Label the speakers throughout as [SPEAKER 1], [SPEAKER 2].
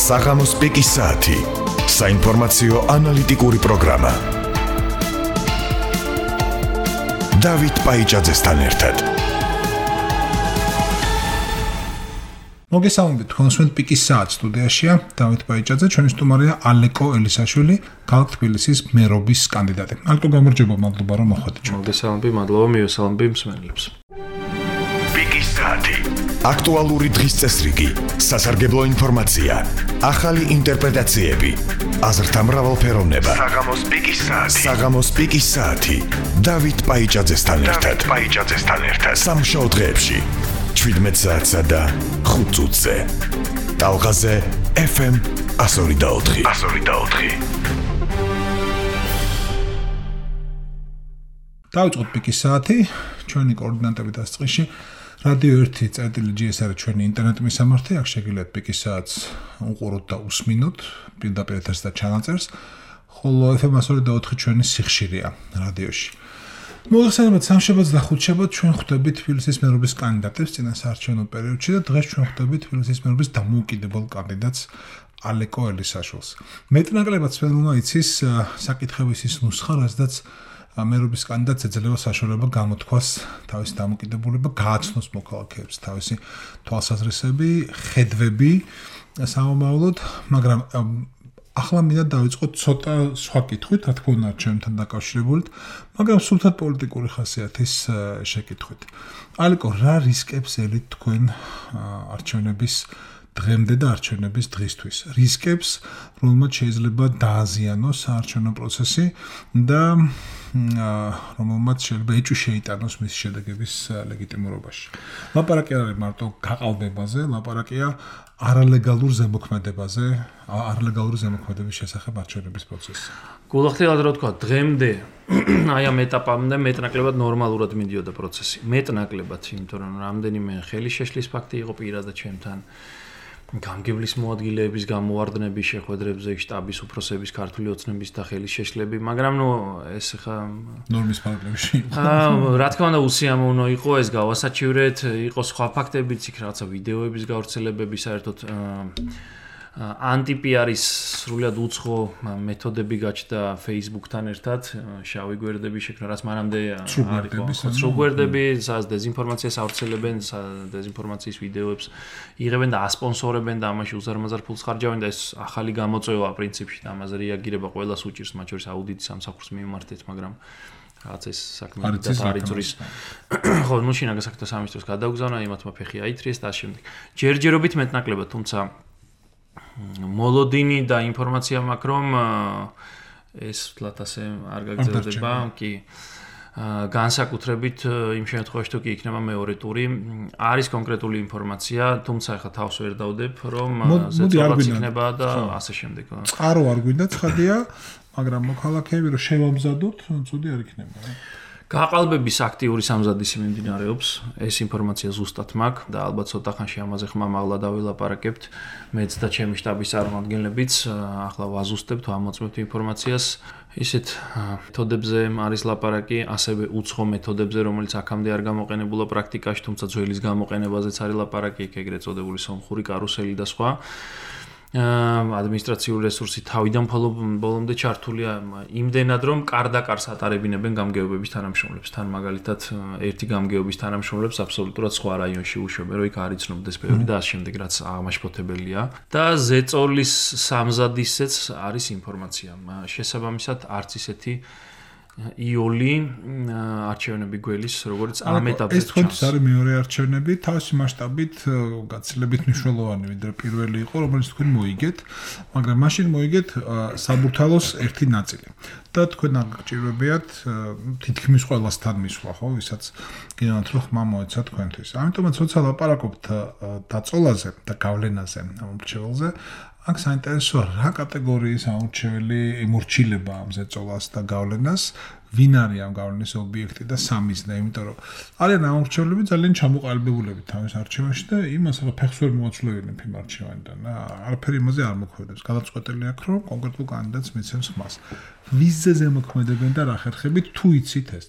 [SPEAKER 1] საღამოს პიკის საათი. საინფორმაციო ანალიტიკური პროგრამა. დავით პაიჭაძესთან ერთად.
[SPEAKER 2] მოგესალმებით, თქვენს პიკის საათი სტუდიაშია დავით პაიჭაძე, ჩვენი სტუმარია ალეკო ელისაშვილი, ქალაქ თბილისის მერობის კანდიდატი. ალეკო, გამარჯობა, მადლობა რომ მოხვედით.
[SPEAKER 3] მოგესალმები, მადლობა, მივესალმები მსმენელებს.
[SPEAKER 1] პიკის საათი. აქტუალური დღის წესრიგი, სასარგებლო ინფორმაცია, ახალი ინტერპრეტაციები, აზრთა მრავალფეროვნება. საღამოს პიკის საათი. დავით პაიჭაძესთან ერთად. სამშაბათ დღეებში 17 საათსა და 5 წუთზე. ტალღაზე FM 102.4.
[SPEAKER 2] დავიწყოთ პიკის საათი, ჩვენი კოორდინატები დასწყისში. რადიო 1.GS არის ჩვენი ინტერნეტ მისამართი, აქ შეგიძლიათ პიკის საათს უყუროთ და უსმინოთ, პირდაპირ ეთერს და ჩანაწერს, ხოლო FM 102.4 ჩვენი სიხშირეა რადიოში. მოგესალმებით, სამშაბათს და ხუთშაბათს ჩვენ ხვდებით თბილისის მერობის კანდიდატებს წინა საარჩევნო პერიოდში და დღეს ჩვენ ხვდებით თბილისის მერობის დამოუკიდებელ კანდიდატს ალეკო ელისაშვილს. მეტნაკლებად სფერულმა იცის საკითხების ის ნუსხა, რაზედაც მერობის კანდიდატს ეძლევა საშუალება გამოთქვას თავისი დამოკიდებულება, გააცნოს მოქალაქეებს თავისი თვალსაზრისები, ხედვები სამომავლოდ, მაგრამ ახლა მინდა დავიწყოთ ცოტა სხვა კითხვით, რა თქმა უნდა, არჩევნებთან დაკავშირებით, მაგრამ სულთად პოლიტიკური ხასიათის შეკითხვით. ალეკო, რა რისკებს ელით თქვენ არჩევნების დღემდე და არჩევნების დღისთვის? რისკებს, რომელმაც შეიძლება დააზიანოს საარჩევნო პროცესი და რომელმაც შეიძლება ეჭვი შეიტანოს მის შედეგების ლეგიტიმურობაში. ლაპარაკი არ არის მარტო გაყალბებაზე, ლაპარაკია არალეგალურ ზემოქმედებაზე, არალეგალური ზემოქმედების შესახებ არჩევნების პროცესში.
[SPEAKER 3] გულახდილად რა თქვა, დღემდე აი ამ ეტაპამდე მეტნაკლებად ნორმალურად მიდიოდა პროცესი. მეტნაკლებად, იმიტომ რომ რამდენიმე ხელი შეშლის ფაქტი იყო პირადად ჩემთან. გამგებლის მოადგილეების გამოვარდნების შეხვედრებზე, შტაბის უფროსების, ქართული ოცნების და ხელის შეშლები, მაგრამ ეს ხა
[SPEAKER 2] ნორმის პარაგრაფში.
[SPEAKER 3] რა თქმა უნდა, უსიამოვნო იყო ეს გავასაჩივრეთ, იყო სხვა ფაქტებიც, იქ რაღაცა ვიდეოების გავრცელებები, საერთოდ ანტი-პიარის სრულად უცხო მეთოდები გაჩნდა Facebook-თან ერთად, შავი გვერდები შექმნა, რაც მანამდე არ იყო. სრულ გვერდები, სადაც დეზინფორმაციას ავრცელებენ, დეზინფორმაციის ვიდეოებს იღებენ და ასპონსორებენ და ამაში უზარმაზარ ფულს ხარჯავენ და ეს ახალი გამოწვევა პრინციპში და ამაზე რეაგირება ყველას უჭირს, მათ შორის აუდიტის სამსახურს მიმართეთ, მაგრამ რაღაც ეს საქმე არიწურის. ხო, ნუ შინაგან საქმეთა სამინისტროს გადაუგზავნა, იმათმა ფეხი აითრიეს და ამავდროულად. ჯერჯერობით მეტნაკლებად, თუმცა მოლოდინი და ინფორმაცია მაქვს, რომ ეს თლათ ასე არ გაგრძელდება, კი. განსაკუთრებით იმ შემთხვევაში, თუ კი იქნება მეორე ტური, არის კონკრეტული ინფორმაცია, თუმცა ახლა თავს ვერ დავდებ, რომ ზეწოლაც იქნება და ასე შემდეგ.
[SPEAKER 2] წყარო არ გვინდა ცხადია, მაგრამ მოქალაქეები რომ შევამზადოთ, ცუდი არ იქნება.
[SPEAKER 3] გაყალბების აქტიური სამზადისი მიმდინარეობს, ეს ინფორმაცია ზუსტად მაქვს და ალბათ ცოტა ხანში ამაზე ხმამაღლა დავილაპარაკებთ. მეც და ჩემი შტაბის წარმომადგენლებიც ახლა ვაზუსტებთ, ვამოწმებთ ინფორმაციას. ისეთ მეთოდებზე არის ლაპარაკი, ასევე უცხო მეთოდებზე, რომელიც აქამდე არ გამოყენებულა პრაქტიკაში, თუმცა ძველის გამოყენებაზეც არის ლაპარაკი, ეგრეთ წოდებული სომხური კარუსელი და სხვა. ადმინისტრაციული რესურსი თავიდან ბოლომდე ჩართულია იმდენად, რომ კარდაკარს ატარებინებენ გამგეობების თანამშრომლებს. თან მაგალითად, ერთი გამგეობის თანამშრომლებს აბსოლუტურად სხვა რაიონში უშვებენ, რომ იქ არ იცნობდეს ბევრი და ასე შემდეგ, რაც აღმაშფოთებელია. და ზეწოლის სამზადისეც არის ინფორმაცია. შესაბამისად, არც ისეთი იოლი არჩევნები გველის, როგორც ამ ეტაპზე.
[SPEAKER 2] ეს თქვენთვის არის მეორე არჩევნები, თავისი მასშტაბით გაცილებით მნიშვნელოვანი, ვიდრე პირველი იყო, რომელიც თქვენ მოიგეთ, მაგრამ მაშინ მოიგეთ საბურთალოს ერთი ნაწილი. და თქვენ აღჭირებიათ თითქმის ყველასთან მისვლა, ხო, ვისაც გინდათ რომ ხმა მოეცა თქვენთვის. ამიტომაც როცა ლაპარაკობთ დაწოლაზე და გავლენაზე ამ მრჩეველზე, აქ საინტერესოა რა კატეგორიის ამორჩეველი ემორჩილება ამ ზეწოლას და გავლენას, ვინ არის ამ გავლენის ობიექტი და სამის და იმიტომ რომ არიან ამორჩევლები ძალიან ჩამოყალიბებულები თავის არჩევანში და იმას რა ფეხს ვერ მოაცვლებენ იმ არჩევანიდან არაფერი იმაზე არ მოქმედებს გადაწყვეტილი აქვს რომ კონკრეტულ კანდიდატს მიცემს ხმას ვიზზე ზემოქმედებენ და რა ხერხებით თუ იცით ეს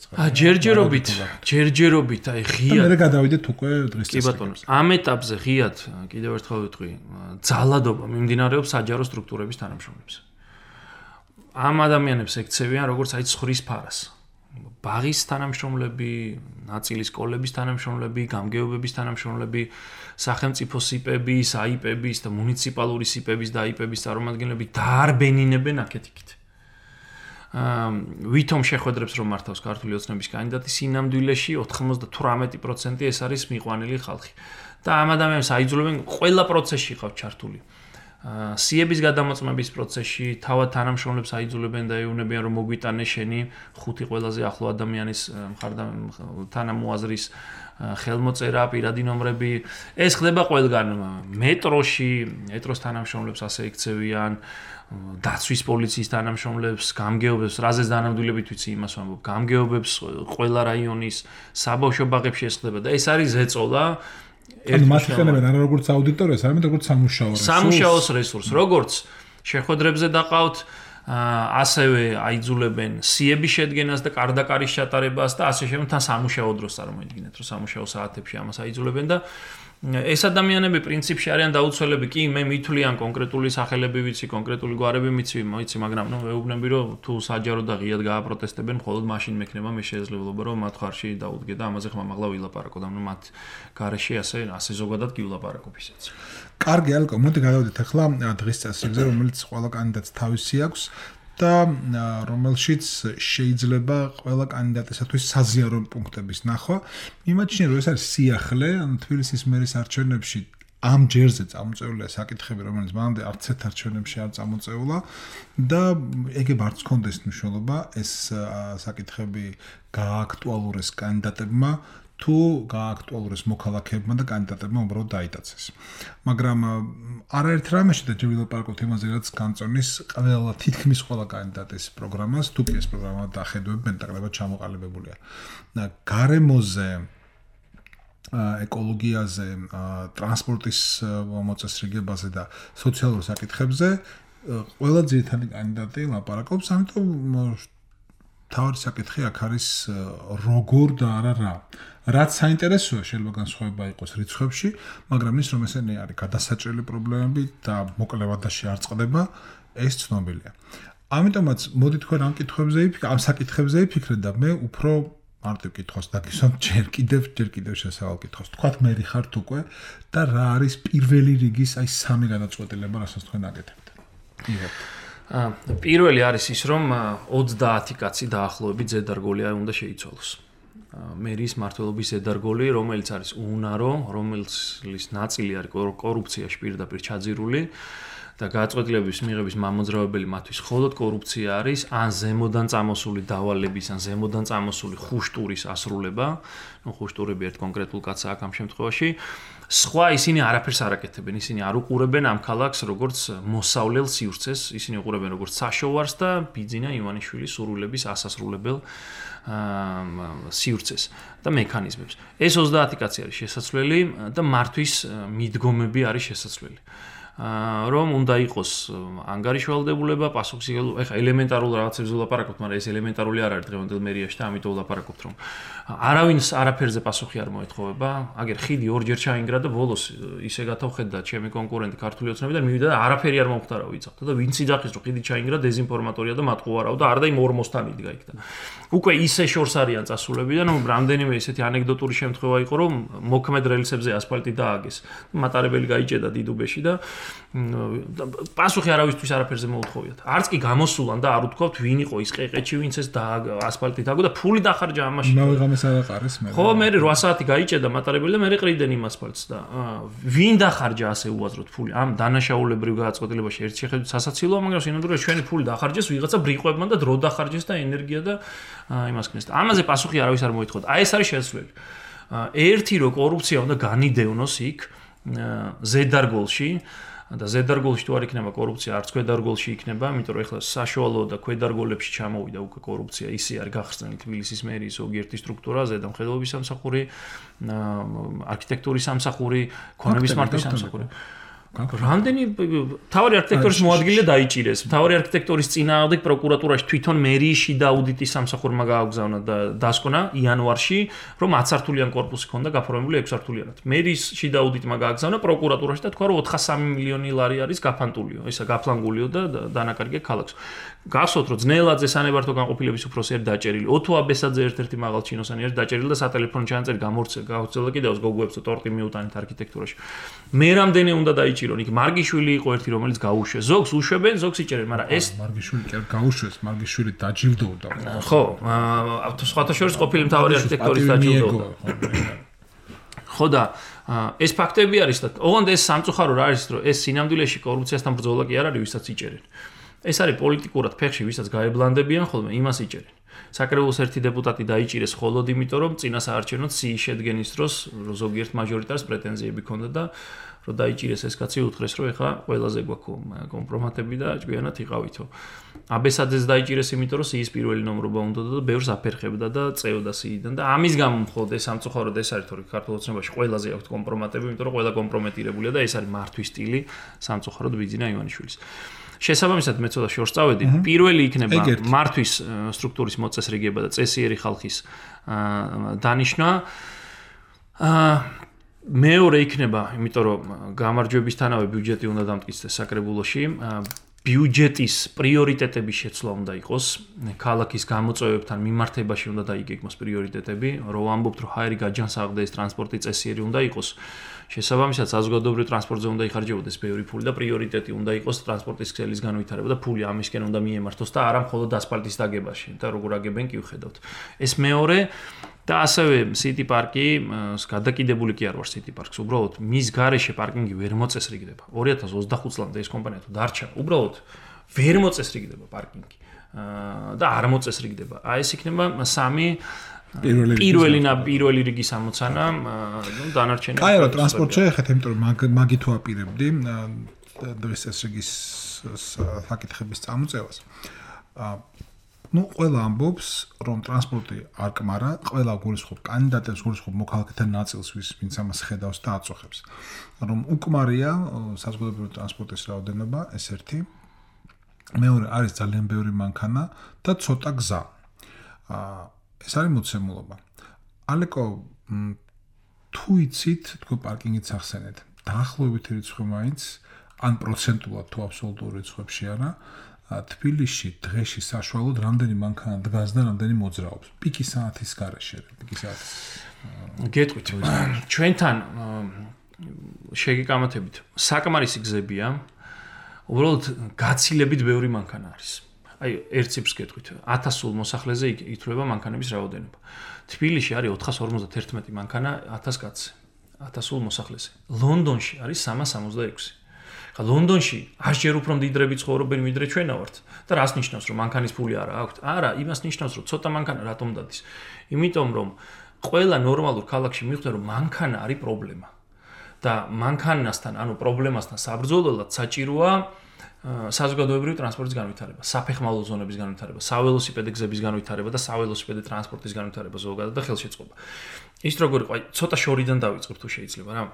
[SPEAKER 2] ჯერჯერობით აი ღიად და მე გადავიდეთ უკვე დღის წესრიგში კი ბატონო ამ ეტაპზე ღიად კიდევ ერთხელ ვიტყვი ძალადობა მიმდინარეობს საჯარო სტრუქტურების თანამშრომლებს ამ ადამიანებს ექცევიან როგორც აი ცხვრის ფარას ბაღის თანამშრომლები, ნაწილი სკოლების თანამშრომლები, გამგეობების თანამშრომლები, სახელმწიფო სიპების, აიპების და მუნიციპალური სიპების და აიპების წარმომადგენლები დაარბენინებენ აქეთ-იქით. ვითომ შეხვედრებს რომ მართავს ქართული ოცნების კანდიდატი სინამდვილეში 98% ეს არის მიყვანილი ხალხი. და ამ ადამიანებს აიძულებენ ყველა პროცესში ყავთ ჩართული. სიების გადამოწმების პროცესში თავად თანამშრომლებს აიძულებენ და ეუბნებიან რომ მოგვიტანე შენი ხუთი ყველაზე ახლო ადამიანის თანამოაზრის ხელმოწერა, პირადი ნომრები. ეს ხდება ყველგან მეტროს თანამშრომლებს ასე ექცევიან, დაცვის პოლიციის თანამშრომლებს, გამგეობებს, რაზეც დანამდვილებით ვიცი იმას ვამბობ, გამგეობებს ყველა რაიონის საბავშვო ბაღებში ეს ხდება და ეს არის ზეწოლა
[SPEAKER 4] ანუ მათ იყენებენ არა როგორც აუდიტორიას, არამედ როგორც
[SPEAKER 2] სამუშაოს რესურსს. როგორც შეხვედრებზე დაყავთ, ასევე აიძულებენ სიების შედგენას და კარდაკარის ჩატარებას და ასე შემდეგ თან სამუშაო დროს წარმოიდგინეთ, რომ სამუშაო საათებში ამას აიძულებენ და ეს ადამიანები პრინციპში არიან დაუცველები, კი მე მithვლიან კონკრეტული სახელები ვიცი, კონკრეტული გვარები ვიცი, მაგრამ ნუ ვეუბნები რომ თუ საჯარო და ღიად გააპროტესტებენ, მხოლოდ მაშინ მექნება მე შესაძლებლობა რომ მათ ხარში დაუდგე და ამაზე ხმამაღლა ვილაპარაკო და ნუ მათ გარეშე ასე ზოგადად კი ვილაპარაკობ ისეც.
[SPEAKER 4] კარგი ალკო, მოდი გადავიდეთ ახლა დღის წესრიგზე, რომელიც ყველა კანდიდატს თავისი აქვს. და რომელშიც შეიძლება ყველა კანდიდატისათვის საზიარო პუნქტების ნახვა. მიმაჩნია რომ ეს არის სიახლე, ანუ თბილისის მერის არჩევნებში ამ ჯერზე წამოწეულია საკითხები, რომელიც მანამდე არც ერთ არჩევნებში არ წამოწეულა და ეგებ არც კონდეს მნიშვნელობა ეს საკითხები გააქტუალურეს კანდიდატებმა თუ გააქტუალურეს მოქალაქეებმა და კანდიდატებმა უბრალოდ დაიტაცეს. მაგრამ არაერთ რამეში და ვილაპარაკოთ იმაზე, რაც განწონის ყველა თითქმის ყველა კანდიდატის პროგრამას, თუ კი ეს პროგრამა დახედვებენ და კლებად ჩამოყალიბებულია. გარემოზე, ეკოლოგიაზე, ტრანსპორტის მოწესრიგებაზე და სოციალურ საკითხებზე ყველა ძირითადი კანდიდატი ლაპარაკობს, ამიტომ თავი საკითხი აქ არის როგორ და არა რა. რაც საინტერესოა შეიძლება განსხვავება იყოს რიცხვებში, მაგრამ ის რომ ესენი არის გადასაჭრელი პრობლემები და მოკლევადაში არ წყდება, ეს ცნობილია. ამიტომაც მოდი თქვენ ამ საკითხებზე ვიფიქრეთ და მე უფრო მარტივ კითხვას დაგისვამ ჯერ კიდევ შესავალ კითხვას. თქვათ მე ხართ უკვე და რა არის პირველი რიგის აი სამი გადაწყვეტილება, რასაც თქვენ აკეთებთ.
[SPEAKER 3] პირველი არის ის რომ 30 კაცი დაახლოებით ზედარგოლი უნდა შეიცვალოს. მერის მმართველობის ზედარგოლი, რომელიც არის უნარო, რომელის ნაწილი არის კორუფციაში პირდაპირ ჩაძირული და გადაწყვეტილების მიღების მამოძრავებელი მათთვის მხოლოდ კორუფცია არის, ან ზემოდან წამოსული დავალების, ან ზემოდან წამოსული ხუშტურის ასრულება. ნუ ხუშტურები ერთ კონკრეტულ კაცს აქ ამ შემთხვევაში. სხვა ისინი არაფერს არ აკეთებენ, ისინი არ უყურებენ ამ ქალაქს როგორც მოსავლელ სივრცეს, ისინი უყურებენ როგორც საშოვარს და ბიძინა ივანიშვილის სურვილების ასასრულებელ სივრცეს და მექანიზმებს. ეს 30 კაცი არის შესაძლებელი და მართვის მიდგომები არის შესაძლებელი. რომ უნდა იყოს ანგარიშვალდებულება, პასუხისმგებლობა, ეხა ელემენტარულ რაღაცებზე ვლაპარაკობთ, მაგრამ ეს ელემენტარული არ არის დღევანდელ მერიაში და ამიტომ ვლაპარაკობთ, რომ არავინს არაფერზე პასუხი არ მოეთხოვება. აგერ ხიდი ორჯერ ჩაინგრა და ბოლოს ისე გადავხედა ჩემი კონკურენტი ქართული ოცნებიდან, მივიდა და არაფერი არ მომხდარა ვიცავთ და ვინც იძახის რომ ხიდი ჩაინგრა დეზინფორმატორია და მატყუარავ და არ და იმ ორმოსთან იდგა იქ და უკვე ისე შორს არიან წასულები და ნუ რამდენიმე ესეთი ანეკდოტური შემთხვევა იყო რომ მოქმედ რელსებზე ასფალტი დააგეს. მატარებელი გაიჭედა დიდუბეში და პასუხი არავისთვის არაფერზე მოუთხოვიათ. არც კი გამოსულან და არ უთქვათ ვინ იყო ის ყეყეჩი, ვინც ეს ასფალტი დააგო და ფული დახარჯა ამაში.
[SPEAKER 4] მაღამეს არ აყარეს მე.
[SPEAKER 3] ხო, მე 8 საათი გაიჭედა მატარებელი და მე ყრიდენ იმ ასფალტს და ვინ დახარჯა ასე უაზროდ ფული? ამ დანაშაულებრივ გადაწყვეტილებაში ერთ შეხედვით სასაცილოა, მაგრამ სინამდვილეში ჩვენი ფული დახარჯეს ვიღაცა ბრიყვებმა და დრო დახარჯეს და ენერგია და იმას ქნეს. ამაზე პასუხი არავის არ მოითხოვდა. აი ეს არის შესაძლებელი. ერთი რო კორუფცია უნდა განიდევნოს იქ ზედარგოლში და ზედარგოლში თუ არ იქნება კორუფცია, არც ქვედარგოლში იქნება, იმიტომ რომ ეხლა საშუალო და ქვედარგოლებში ჩამოვიდა უკვე კორუფცია, ისე არის გახსნილი თბილისის მერიის ზოგიერთი სტრუქტურა, ზედამხედველობის სამსახური, არქიტექტურის სამსახური, ქონების მართვის სამსახური. რამდენი თავარი არქიტექტორის მოადგილე დაიჭირეს. თავარი არქიტექტორის წინააღმდეგ პროკურატურაში თვითონ მერიის შიდა აუდიტის სამსახურმა გააგზავნა და დასკვნა იანვარში, რომ 10 სართულიან კორპუსი ჰქონდა გაფორმებული 6 სართულიანად. მერიის შიდა აუდიტმა გააგზავნა პროკურატურაში და თქვა, რომ 403 მილიონი ლარი არის გაფანტულიო, ისა გაფლანგულიო და დანაკარგე ქალაქს. გახსოვთ, რომ ძნელაძე სანებართო განყოფილების უფროსი არის დაჭერილი. ოთო აბესაძე ერთ-ერთი მაღალ ჩინოსანი არის დაჭერილი და სატელეფონო ჩანაწერი გამორცელა კიდევ გოგოებს ტორტი მიუტანეთ არქიტექტურაში. მე რამდენი უნდა დაიჭირონ? იქ მარგიშვილი იყო ერთი, რომელიც გაუშვეს. ზოგს უშვებენ, ზოგს იჭერენ, მაგრამ ეს
[SPEAKER 4] მარგიშვილი კი არ გაუშვეს, მარგიშვილი დაჯილდოვდა.
[SPEAKER 3] ხო, სხვათა შორის ყოფილი მთავარი არქიტექტორის დაჯილდოვდა. ხო და ეს ფაქტები არის და ოღონდ ეს სამწუხარო რა არის, რომ ეს სინამდვილეში კორუფციასთან ბრძოლა კი არ არის, ვისაც იჭერენ. ეს არის პოლიტიკურად ფეხში, ვისაც გაებლანდებიან ხოლმე, იმას იჭერენ. საკრებულოს ერთი დეპუტატი დაიჭირეს მხოლოდ იმიტომ, რომ წინა საარჩევნო ციის შედგენის დროს ზოგიერთ მაჟორიტარს პრეტენზიები ჰქონდა და რომ დაიჭირეს ეს კაცი უთხრეს, რომ ეხლა ყველაზე გვაქვს კომპრომატები და ჭკვიანად იყავითო. აბესაძეს დაიჭირეს იმიტომ, რომ სიის პირველი ნომრობა უნდა და ბევრს აფერხებდა და წეოდა სიიდან და ამის გამო მხოლოდ ეს სამწუხაროდ ეს არის, თორე ქართულ ოცნებაში ყველაზე აქვს კომპრომატები, იმიტომ რომ ყველა კომპრომეტირებულია და ეს არის მართვის სტილი სამწუხაროდ ბიძინა ივანიშვილის. შესაბამისად მე ცოტა შორს წავედი. პირველი იქნება მართვის სტრუქტურის მოწესრიგება და წესიერი ხალხის დანიშვნა. მეორე იქნება, იმიტომ რომ გამარჯვებისთანავე ბიუჯეტი უნდა დამტკიცდეს საკრებულოში. ბიუჯეტის პრიორიტეტების შეცვლა უნდა იყოს, ქალაქის გამოწვევებთან მიმართებაში უნდა დაიგეგმოს პრიორიტეტები, რომ ვამბობთ, რომ ჰაერი გაჯანსაღდა ეს ტრანსპორტი წესიერი უნდა იყოს. შესაბამისად, საზოგადოებრივ ტრანსპორტზე უნდა იხარჯებოდეს ბევრი ფული და პრიორიტეტი უნდა იყოს ტრანსპორტის ქსელის განვითარება და ფული ამისკენ უნდა მიემართოს და არა მხოლოდ ასფალტის დაგებაში და როგორ აგებენ კი ვხედავთ. ეს მეორე და ასევე City Park-ი გადაკიდებული კი არ ვარ City Park-ს, უბრალოდ მის გარეშე პარკინგი ვერ მოწესრიგდება. 2025 წლამდე ეს კომპანია თუ დარჩა, უბრალოდ ვერ მოწესრიგდება პარკინგი. და არ მოწესრიგდება. აი ეს იქნება სამი პირველი რიგის ამოცანა, დანარჩენი.
[SPEAKER 4] აი რა ტრანსპორტ შეეხეთ, იმიტომ რომ მაგით ვაპირებდი დღეს ეს რიგის საკითხების წამოწევას. ყველა ამბობს, რომ ტრანსპორტი არ კმარა, ყველა გულისხმობს კანდიდატებს, გულისხმობს მოქალაქეთა ნაწილს, ვინც ამას ხედავს და აწუხებს. რომ უკმარია საზოგადოებრივი ტრანსპორტის რაოდენობა, ეს ერთი. მეორე არის ძალიან ბევრი მანქანა და ცოტა გზა. ეს არის მოცემულობა. ალეკო თუ იცით, თქო პარკინგიც ახსენეთ. დაახლოებით რიცხვი მაინც ან პროცენტულად თუ აბსოლუტურ რიცხვებში არა, თბილისში დღეში საშუალოდ რამდენი მანქანა დგას და რამდენი მოძრაობს. პიკის საათის გარეშე, პიკის საათის.
[SPEAKER 3] გეტყვით, ჩვენთან შეგეკამათებით საკმარისი გზებია. უბრალოდ გაცილებით ბევრი მანქანა არის. აი, ერთ ციფრს გეტყვით, 1000 მოსახლეზე ითვლება მანქანების რაოდენობა. თბილისში არის 451 მანქანა 1000 კაცზე, 1000 მოსახლეზე. ლონდონში არის 366. ხა ლონდონში 100-ჯერ უფრო მდიდრები ცხოვრობენ ვიდრე ჩვენა ვართ. და რას ნიშნავს, რომ მანქანის ფული არა აქვთ? არა, იმას ნიშნავს, რომ ცოტა მანქანა რატომ დადის. იმიტომ რომ ყველა ნორმალურ ქალაქში მიხვდა, რომ მანქანა არის პრობლემა. და მანქანასთან, ანუ პრობლემასთან საბრძოლველად საჭიროა საზოგადოებრივი ტრანსპორტის განვითარება, საფეხმავლო ზონების განვითარება, საველოსიპედე გზების განვითარება და საველოსიპედე ტრანსპორტის განვითარება ზოგადად და ხელშეწყობა. ის როგორ იყო, ცოტა შორიდან დავიწყებ თუ შეიძლება რა.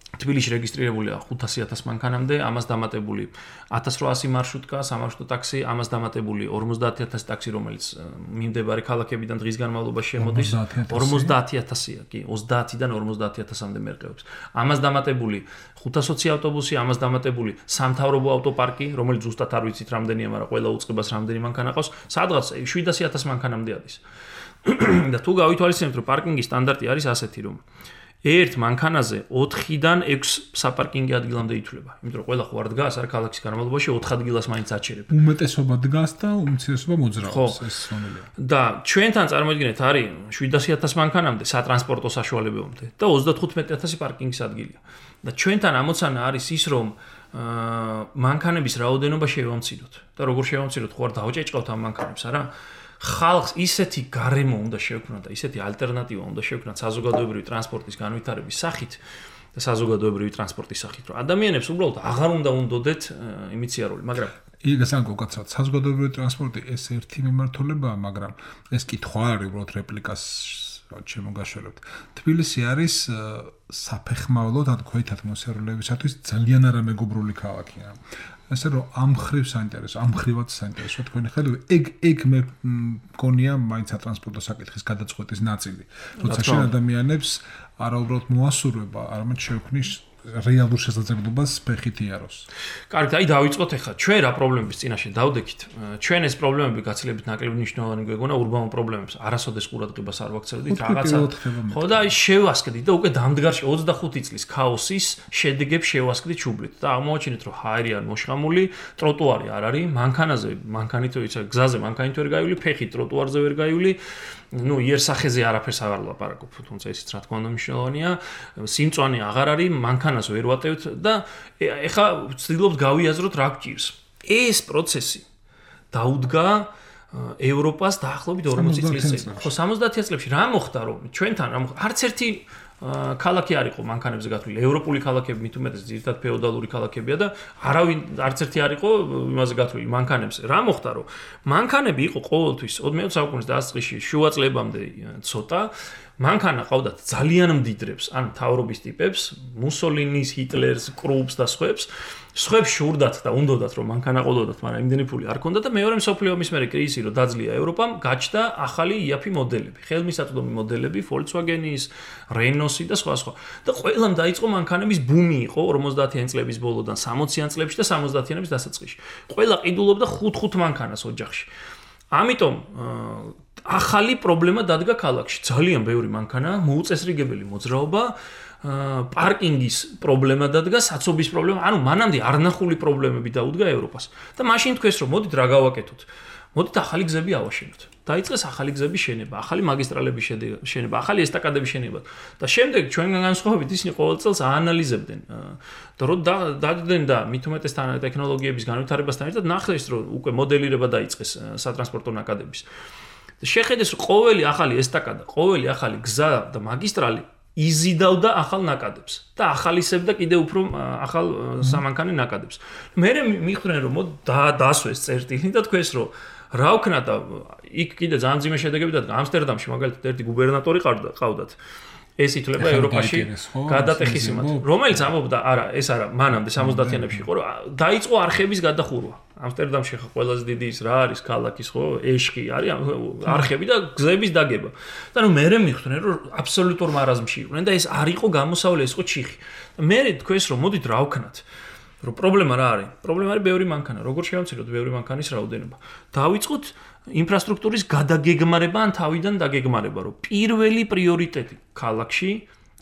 [SPEAKER 3] თბილისში რეგისტრირებულია 500,000 მანქანამდე, ამას დამატებული 1800 მარშრუტკა, სამარშრუტო ტაქსი, ამას დამატებული 50,000 ტაქსი, რომელიც მიმდებარე ქალაქებიდან დღის განმავლობაში შემოდის, 50,000-ია, კი, 30-დან 50,000-მდე მერყეობს. ამას დამატებული 520 ავტობუსი, ამას დამატებული სამთავრობო ავტოპარკი, რომელიც ზუსტად არ ვიცით რამდენია, მაგრამ ყველა უწყებას რამდენი მანქანა ყავს, სადღაც 700,000 მანქანამდე არის. და თუ გავითვალისწინებთ, რომ პარკინგის სტანდარტი არის ასეთი, რომ ერთ მანქანაზე 4-დან 6 საპარკინგო ადგილამდე ითვლება. იმიტომ რომ ყველა ხო არ დგას, არ ქალაქის განმავლობაში 4 ადგილას მაინც აჩერებ.
[SPEAKER 4] უმეტესობა დგას და უმცირესობა მოძრაობს, ეს სვანელია.
[SPEAKER 3] და ჩვენთან წარმოიდგინეთ, არის 700,000 მანქანამდე სატრანსპორტო საშუალებებამდე და 35,000 პარკინგის ადგილია. და ჩვენთან ამოცანა არის ის, რომ მანქანების რაოდენობა შევამციროთ. და როგორ შევამციროთ, ხო არ დავჭეჭყავთ ამ მანქანებს, არა? ხალხს ისეთი გარემო უნდა შევქმნათ და ისეთი ალტერნატივა უნდა შევქმნათ საზოგადოებრივი ტრანსპორტის განვითარების სახით, და საზოგადოებრივი ტრანსპორტის სახით, რომ ადამიანებს უბრალოდ აღარ უნდა უნდოდეთ იმით სიარული, მაგრამ
[SPEAKER 4] იგასან გოგაცავთ საზოგადოებრივი ტრანსპორტი ეს ერთი მიმართულებაა, მაგრამ ეს კითხვა არის უბრალოდ რეპლიკას შემოგაშორებთ. თბილისი არის საფეხმავლო და ქვეითად მოსიარულეებისათვის ძალიან არამეგობრული ქალაქია. ასე რომ ამ ხრივ საინტერესო, ამ ხრივაც საინტერესო თქვენი ხედვით, ეგ მე მგონია მაინც სატრანსპორტო საკითხის გადაწყვეტის ნაწილი. როცა შენ ადამიანებს არა უბრალოდ მოასურვება, არამედ შეუქმნის რეალურ შესაძლებლობას ფეხით იაროს.
[SPEAKER 3] კარგი, აი დავიწყოთ ახლა. ჩვენ რა პრობლემების წინაშე დავდექით? ჩვენ ეს პრობლემები გაცილებით ნაკლები მნიშვნელოვანი გვეგონა ურბანულ პრობლემებს. არასოდეს ყურადღებას არ ვაქცევდით რაღაცა. ხო და აი შევასკდით და უკვე დამდგარში 25 წლის ქაოსის შედეგებს შევასკდით ჩუბლით და აღმოაჩინეთ რომ ჰაერი არ მოშხამული, ტროტუარი არ არის, მანქანით ვიცი, გზაზე მანქანით ვერ გაივალი, ფეხით ტროტუარზე ვერ გაივალი. Ну, იერსახეზე არაფერს აღარ ვლაპარაკობ, თუმცა ისიც რა თქმა უნდა მნიშვნელოვანია. სიმწვანე აღარ არის, მანქანას ვერ ვატევთ და ეხა ვცდილობთ გავიაზროთ რა გვჭირს. ეს პროცესი დაუდგა ევროპას დაახლოებით 40 წლის წინ. ხო, 70 წლებში რა მოხდა, რომ ჩვენთან არც ერთი ქალაქი არ იყო მანქანებზე გათვლილი. ევროპული ქალაქები მით უმეტეს ძირითადად ფეოდალური ქალაქებია და არავინ არც ერთი არ იყო იმაზე გათვლილი მანქანებზე. რა მოხდა, რომ მანქანები იყო ყოველთვის 20 საუკუნის დასაწყისში შუა წლებამდე ცოტა მანქანა ყავდათ ძალიან მდიდრებს, ან მთავრობის ტიპებს, მუსოლინის, ჰიტლერს, კრუპს და სხვებს შურდათ და უნდოდათ რომ მანქანა ყოლოდათ, მაგრამ იმდენი ფული არ ქონდათ და მეორე მსოფლიო ომის მერე კრიზისი რო დაძლია ევროპამ, გაჩნდა ახალი იაფი მოდელები, ხელმისაწვდომი მოდელები, Volkswagen-ის, Renault-ი და სხვა. და ყველამ დაიწყო მანქანების ბუმი იყო 50-იან წლების ბოლოდან 60-იან წლებში და 70-იანების დასაწყისში. ყველა ყიდულობდა 5 მანქანას ოჯახში. ამიტომ ახალი პრობლემა დადგა ქალაქში. ძალიან ბევრი მანქანა, მოუწესრიგებელი მოძრაობა, პარკინგის პრობლემა დადგა, საცობის პრობლემა, ანუ მანამდე არნახული პრობლემები დაუდგა ევროპას. და მაშინ თქვეს რომ მოდით რა გავაკეთოთ. მოდით ახალი გზები ავაშენოთ. დაიწყეს ახალი გზების შენება, ახალი მაგისტრალების შენება, ახალი ესტაკადების შენება. და შემდეგ ჩვენგან განსხვავებით ისინი ყოველ წელს აანალიზებდნენ და რო დადგნენ და მით უმეტეს ტექნოლოგიების განვითარებასთან ერთად ნახეს რომ უკვე მოდელირება დაიწყეს სატრანსპორტო ნაკადების. შეხედეს რომ ყოველი ახალი ესტაკადა, ყოველი ახალი გზა და მაგისტრალი იზიდავდა ახალ ნაკადებს და ახალისებდა კიდევ უფრო ახალ სამანქანე ნაკადებს. მე მიხვდნენ რომ დაასვეს წერტილი და თქვეს რომ რა ვქნა და იქ კიდე ძალიან მძიმე შედეგები დადგა. ამსტერდამში მაგალითად ერთი გუბერნატორი ყავდათ. ეს ითვლება ევროპაში გადატეხის იმად, რომელიც ამბობდა, ეს არა, მანამდე 70-იანებში იყო, რომ დაიწყო არხების გადახურვა. ამსტერდამში ხა ყველაზე დიდი ის რა არის ქალაქის ხო, ეშხი არის არხები და გზების დაგება. და ნუ მე მიხვდნენ რომ აბსოლუტურ მარაზმში იყვნენ და ეს არ იყო გამოსავალი, ეს იყო ჩიხი. და მე თქვეს რომ მოდით რა ვქნათ. რომ პრობლემა რა არის? პრობლემა არის ბევრი მანქანა. როგორ შევამციროთ ბევრი მანქანის რაოდენობა? დავიწყოთ ინფრასტრუქტურის გადაგეგმარება ან თავიდან დაგეგმარება, რომ პირველი პრიორიტეტი ქალაქში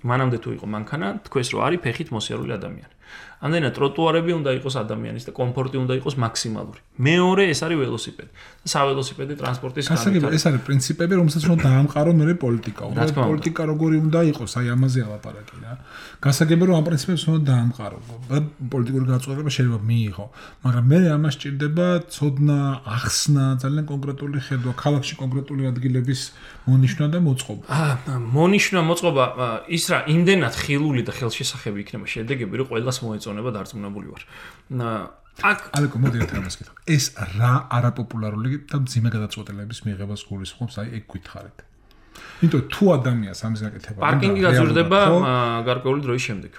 [SPEAKER 3] მანამდე თუ იყო მანქანა, თქვეს რომ არის ფეხით მოსიარული ადამიანი. ამდენად ტროტუარები უნდა იყოს ადამიანის და კომფორტი უნდა იყოს მაქსიმალური. მეორე ეს არის ველოსიპედი. საველოსიპედი ტრანსპორტის განვითარება.
[SPEAKER 4] ეს არის პრინციპები, რომელსაც უნდა დაამყარო მე პოლიტიკა. პოლიტიკა როგორი უნდა იყოს, აი ამაზე ალაპარაკი რა. გასაგებია რომ ამ პრინციპებს უნდა დაამყარო. პოლიტიკური გაწყვეტილება შეიძლება მიიღო, მაგრამ მე ამას სჭირდება ცოდნა, ახსნა, ძალიან კონკრეტული ხედვა, ქალაქში კონკრეტული ადგილების მონიშნა და მოწყობა.
[SPEAKER 3] მონიშნა, მოწყობა, ის რა, იმდენად ხილული და ხელშესახები იქნება შედეგები, რომ ყველას მოეწონება დარწმუნებული ვარ.
[SPEAKER 4] ალეკო მოდი ერთ რამას გითხრა. ეს რა არაპოპულარული და მძიმე გადაწყვეტილების მიღებას გულისხმობს, აი ეგ გითხარით. იმიტომ თუ ადამიანს ამის გაკეთება
[SPEAKER 3] პარკინგი გაზრდება გარკვეული დროის შემდეგ.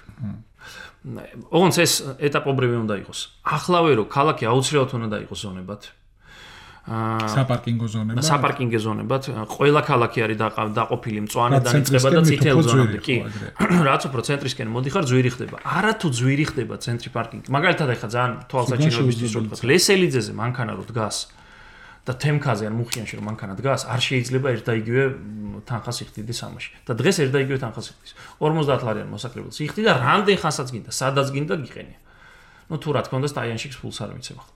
[SPEAKER 3] ოღონდ ეს ეტაპობრივი უნდა იყოს. ახლავე რომ ქალაქი აუცილებლად უნდა იყოს ზონებად.
[SPEAKER 4] საპარკინგო ზონებად.
[SPEAKER 3] საპარკინგო ზონებად. ყველა ქალაქი არის დაყოფილი მწვანედან იწყება და წითელ ზონამდე. კი. რაც უფრო ცენტრისკენ მოდიხარ, ძვირი ხდება. არა თუ ძვირი ხდება ცენტრი პარკინგი. მაგალითად ახლა ძალიან თვალსაჩინოებისთვის რო ვთქვა, ლესელიძეზე მანქანა რო დგას და თემქაზე ან მუხიანში რომ მანქანა დგას, არ შეიძლება ერთ და იგივე თანხას იხდიდეს ამაში. და დღეს ერთ და იგივე თანხას იხდის. 50 ლარიანი მოსაკრებელს იხდი და რამდენ ხანსაც გინდა, სადაც გინდა გიყენია. ნუ თუ რა თქმა უნდა სტაიანში ფულს არ მიცემ ახლა.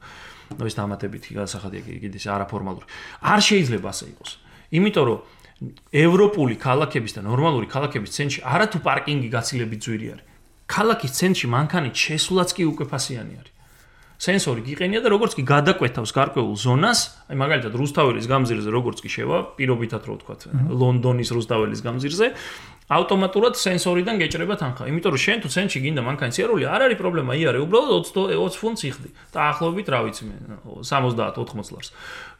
[SPEAKER 3] ნუ ეს დამატებითი გადასახადია კიდე არაფორმალური. არ შეიძლება ასე იყოს. იმიტომ რომ ევროპული ქალაქების და ნორმალური ქალაქების ცენტრში არა თუ პარკინგი გაცილებით ძვირი არის. ქალაქის ცენტრში მანქანით შესულაც კი უკვე ფასიანი არის. სენსორი გიყენია და როგორც კი გადაკვეთავს გარკვეულ ზონას, აი მაგალითად რუსთაველის გამზირზე როგორც კი შევა, პირობითად რო ვთქვათ, ლონდონის რუსთაველის გამზირზე, ავტომატურად სენსორიდან გეჭრება თანხა. იმიტომ რომ შენ თუ ცენტში გინდა მანქანის სიარული, არ არის პრობლემა, იარე, უბრალოდ 20 ფუნტს იხდი. დაახლოებით, რა ვიცი მე, 70-80 ლარს.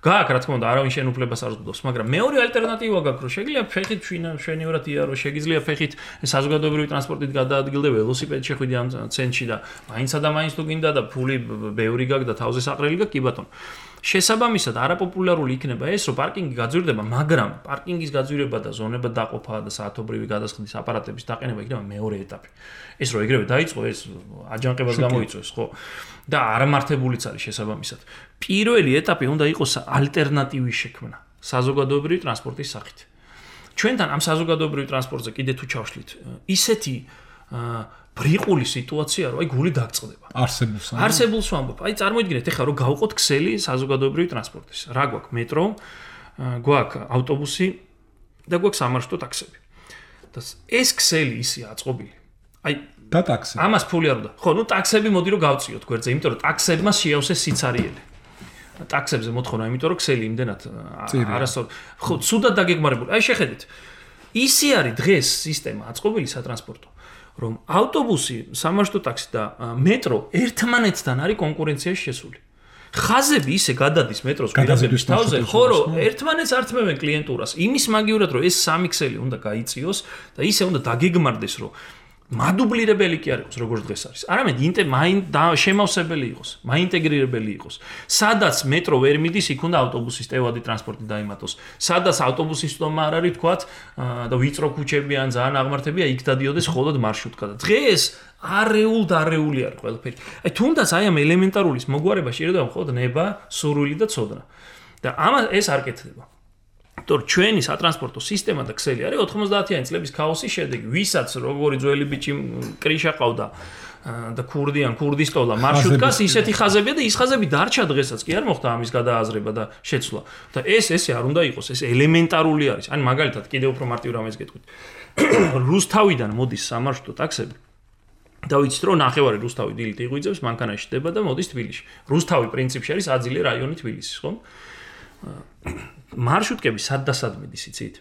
[SPEAKER 3] გააქვს რა თქმა უნდა, არავინ შენ უფლებას არ უძღვდოს, მაგრამ მეორე ალტერნატივა გაქვს, რომ შეგიძლია ფეხით შვენივრად იარო, შეგიძლია ფეხით საზოგადოებრივი ტრანსპორტით გადაადგილდე, ველოსიპედით შეხვიდე ამ ცენტში და მაინცსა და მაინც თუ გინდა და ფული ბევრი გაქვს და თავზე საყრელი გაქვს, კი ბატონო. შესაბამისად არაპოპულარული იქნება ეს, რომ პარკინგი გაძვირდება, მაგრამ პარკინგის გაძვირება და ზონებად დაყოფა და საათობრივი გადასხდის აპარატების დაყენება იქნება მეორე ეტაპი. ეს რო ეგრევე დაიწყო, ეს აჯანყებას გამოიწვევს, ხო? და არამართებულიც არის შესაბამისად. პირველი ეტაპი უნდა იყოს ალტერნატივის შექმნა საზოგადოებრივი ტრანსპორტის სახით. ჩვენთან ამ საზოგადოებრივ ტრანსპორტზე კიდე თუ ჩავშლით, ისეთი ბრიყული სიტუაცია, რომ აი გული დაგწყდება. არსებულს ვამბობ. აი წარმოიდგინეთ, ეხლა რომ გავყოთ ქსელი საზოგადოებრივი ტრანსპორტის. რა გვაქვს? მეტრო, გვაქვს ავტობუსი და გვაქვს სამარშრუტო ტაქსები. და ეს ქსელი ისია აწყობილი. აი
[SPEAKER 4] და ტაქსი.
[SPEAKER 3] ამას ფული არ უნდა. ხო, ნუ ტაქსები მოდი რომ გავწიოთ გვერდზე, იმიტომ რომ ტაქსებმა შეავსეს სიცარიელი. ტაქსებზე მოთხოვნა, იმიტომ რომ ქსელი იმდენად არასწორ. ხო, ცუდად დაგეგმარებული. აი შეხედეთ. ისი არის დღეს სისტემა აწყობილი სატრანსპორტო, რომ ავტობუსი, სამარშრუტო ტაქსი და მეტრო ერთმანეთთან არის კონკურენციაში შესული. ხაზები ისე გადადის მეტროს პირადების თავზე, ხო რომ ერთმანეთს ართმევენ კლიენტურას. იმის მაგივრად რომ ეს სამი ქსელი უნდა გაიწიოს და ისე უნდა დაგეგმარდეს, რომ მადუბლირებელი კი არ იყოს, როგორც დღეს არის. არამედ შემავსებელი იყოს, მაინტეგრირებელი იყოს. სადაც მეტრო ვერ მიდის, იქ უნდა ავტობუსის ტევადი ტრანსპორტი დაიმატოს. სადაც ავტობუსის სტომა არ არის, თქვათ, და ვიწრო ქუჩები ან ძალიან აღმართებია, იქ დადიოდეს მხოლოდ მარშრუტკა. და დღეს არეული არის ყველაფერი. აი თუნდაც აი ამ ელემენტარულის მოგვარება შეიძლება მხოლოდ ნება, სურვილი და ცოდნა. და ამას ეს არ კეთდება. თორ ჩვენი სატრანსპორტო სისტემა და ქსელი არის 90-იანი წლების ქაოსის შედეგი. ვისაც როგორი ძველი ბიჭი კრიშა ყავდა და ქურდის ტოლა მარშრუტკას ისეთი ხაზებია და ის ხაზები დარჩა დღესაც კი არ მოხდა ამის გადააზრება და შეცვლა. და ესე არ უნდა იყოს, ეს ელემენტარული არის. ან მაგალითად კიდევ უფრო მარტივ რამეს გეტყვით. რუსთავიდან მოდის სამარშრუტო ტაქსები. და ვიცით რომ ნახევარი რუსთავი დილით იღვიძებს, მანქანაში ხდება და მოდის თბილისში. რუსთავი პრინციპში არის აძილე რაიონი თბილისის, ხო? მარშრუტკები სად და სად მიდის, იცით?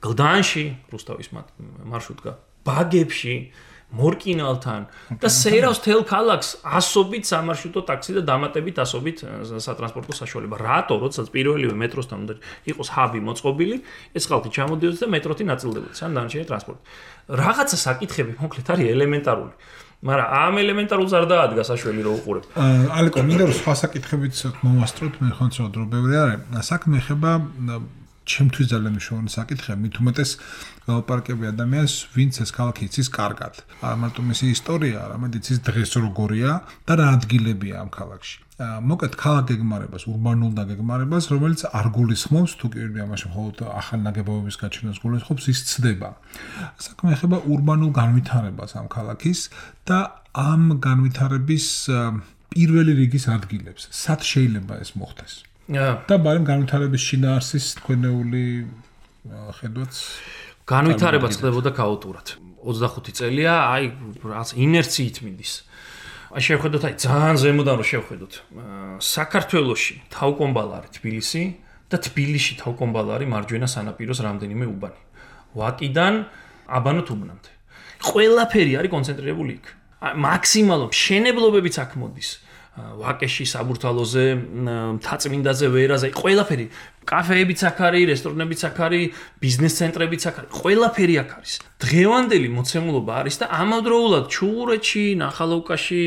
[SPEAKER 3] გლდანში რუსთავის მარშრუტკა, ბაგებში, მორკინალთან და სეირავს თელ ქალაქს ასობით სამარშრუტო ტაქსი და დამატებით ასობით სატრანსპორტო საშუალება. რატო, როდესაც პირველივე მეტროსთან უნდა იყოს ჰაბი მოწყობილი, ეს ხალხი ჩამოდიოდეს და მეტროთი ნაწილდებოდეს, ან დანარჩენი ტრანსპორტი. რაღაცა საკითხები მოკლედ არის ელემენტარული. მაგრამ ამ ელემენტარულს არ დაადგა საშველი რო უყურებ.
[SPEAKER 4] ალეკო, მინდა რომ სხვა საკითხებიც მომასწროთ, მე ხომ ცოტა დრო ბევრი არის. საქმე ეხება ჩემთვის ძალიან მნიშვნელოვანი საკითხია, მით უმეტეს ველოპარკები ადამიანს, ვინც ეს ქალაქი იცის კარგად. არა მარტო მისი ისტორია, არამედ იცის დღეს როგორია და რა ადგილებია ამ ქალაქში. მოკლედ ქალაქ გეგმარებას, ურბანულ დაგეგმარებას, რომელიც არ გულისხმობს, თუ კი ამაში მხოლოდ ახალ ნაგებობების გაჩენას გულისხმობს, ის ცდება. საქმე ეხება ურბანულ განვითარებას ამ ქალაქის და ამ განვითარების პირველი რიგის ადგილებს. სად შეიძლება ეს მოხდეს? და ბარემ განვითარების შინაარსის თქვენეული ხედვაც
[SPEAKER 3] განვითარება ხდებოდა ქაოტურად. 25 წელია, აი რაღაც ინერციით მიდის. აი შევხედოთ, აი ძალიან ზემოდან რომ შევხედოთ. საქართველოში თავკომბალა არის თბილისი და თბილისში თავკომბალა არის მარჯვენა სანაპიროს რამდენიმე უბანი. ვაკიდან აბანო თუბნამდე. ყველაფერი არის კონცენტრირებული იქ. მაქსიმალურ მშენებლობებიც აქ მოდის. ვაკეში, საბურთალოზე, მთაწმინდაზე, ვერაზე, ყველაფერი, კაფეებიც აქ არის, რესტორნებიც აქ არის, ბიზნეს ცენტრებიც აქ არის, ყველაფერი აქ არის. დღევანდელი მოცემულობა არის და ამავდროულად ჩუღურეთში, ნახალოვკაში,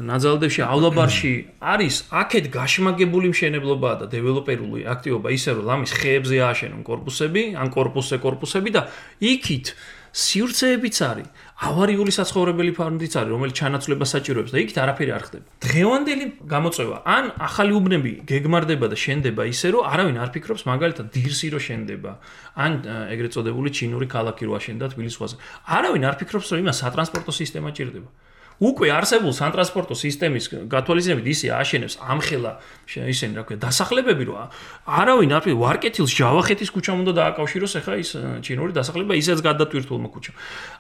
[SPEAKER 3] ნაძალდევში,ავლაბარში არის აქეთ გაშმაგებული მშენებლობაა და დეველოპერული აქტივობა ისე რომ ლამის ხეებზე ააშენონ კორპუსები, ან კორპუსები და იქით სივრცეებიც არის, ავარიული საცხოვრებელი ფარმიც არის, რომელიც ჩანაცვლებას საჭიროებს და იქით არაფერი არ ხდება. დღევანდელი გამოწვევა, ან ახალი უბნები გეგმარდება და შენდება ისე, რომ არავინ არ ფიქრობს მაგალითად დირსი რო შენდება, ან ეგრეთ წოდებული ჩინური ქალაქი რო აშენდა თბილის ზღვაზე. არავინ არ ფიქრობს, რომ იმას სატრანსპორტო სისტემა ჭირდება. უკვე არსებულ სატრანსპორტო სისტემის გათვალისწინებით ისე აშენებს ამხელა ისინი რა ქვია დასახლებები რო არავინ არ ვარკეთილს ჯავახეთის ქუჩამ უნდა დააკავშიროს ახლა ის ჩინური დასახლება ისეც გადატვირთულმა ქუჩამ.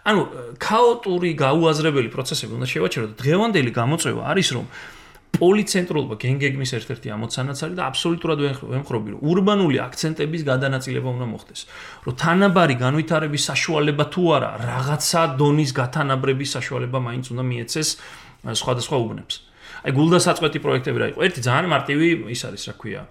[SPEAKER 3] ანუ ქაოტური გაუაზრებელი პროცესები უნდა შევაჩეროთ. დღევანდელი გამოწვევა არის რომ პოლიცენტრულობა გენგეგმის ერთ-ერთი ამოცანაც არის და აბსოლუტურად ვემხრობი, რომ ურბანული აქცენტების გადანაწილება უნდა მოხდეს. რომ თანაბარი განვითარების საშუალება თუ არა, რაღაცა დონის გათანაბრების საშუალება მაინც უნდა მიეცეს სხვადასხვა უბნებს. აი გულდასაწყვეტი პროექტები რა იყო. ერთი ძალიან მარტივი ის არის, რა ქვია.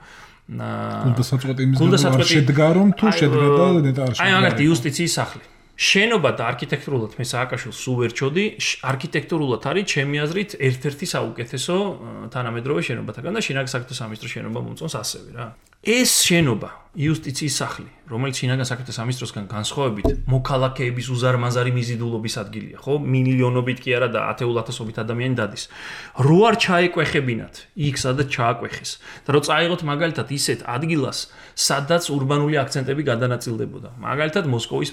[SPEAKER 4] გულდასაწყვეტი იმის შედგა რომ თუ შედგა და ნეტარში.
[SPEAKER 3] აი მაგალითად იუსტიციის სახლი. შენობა და არქიტექტურულად მე სააკაშვილს სულ ვერ ჩოდი, არქიტექტურულად არის ჩემი აზრით ერთ-ერთი საუკეთესო თანამედროვე შენობათაგან და შინაგან საქმეთა სამინისტროს შენობა მომწონს ასევე რა. ეს შენობა, იუსტიციის სახლი, რომელიც შინაგან საქმეთა სამინისტროსგან განსხვავებით მოქალაქეების უზარმაზარი მიზიდულობის ადგილია, ხო? მილიონობით კი არა და ათეულათასობით ადამიანი დადის. რო არ ჩაეკვეხებინათ იქ, სადაც ჩააკვეხეს და რო წაიღოთ მაგალითად ისეთ ადგილას, სადაც ურბანული აქცენტები გადანაწილდებოდა. მაგალითად მოსკოვის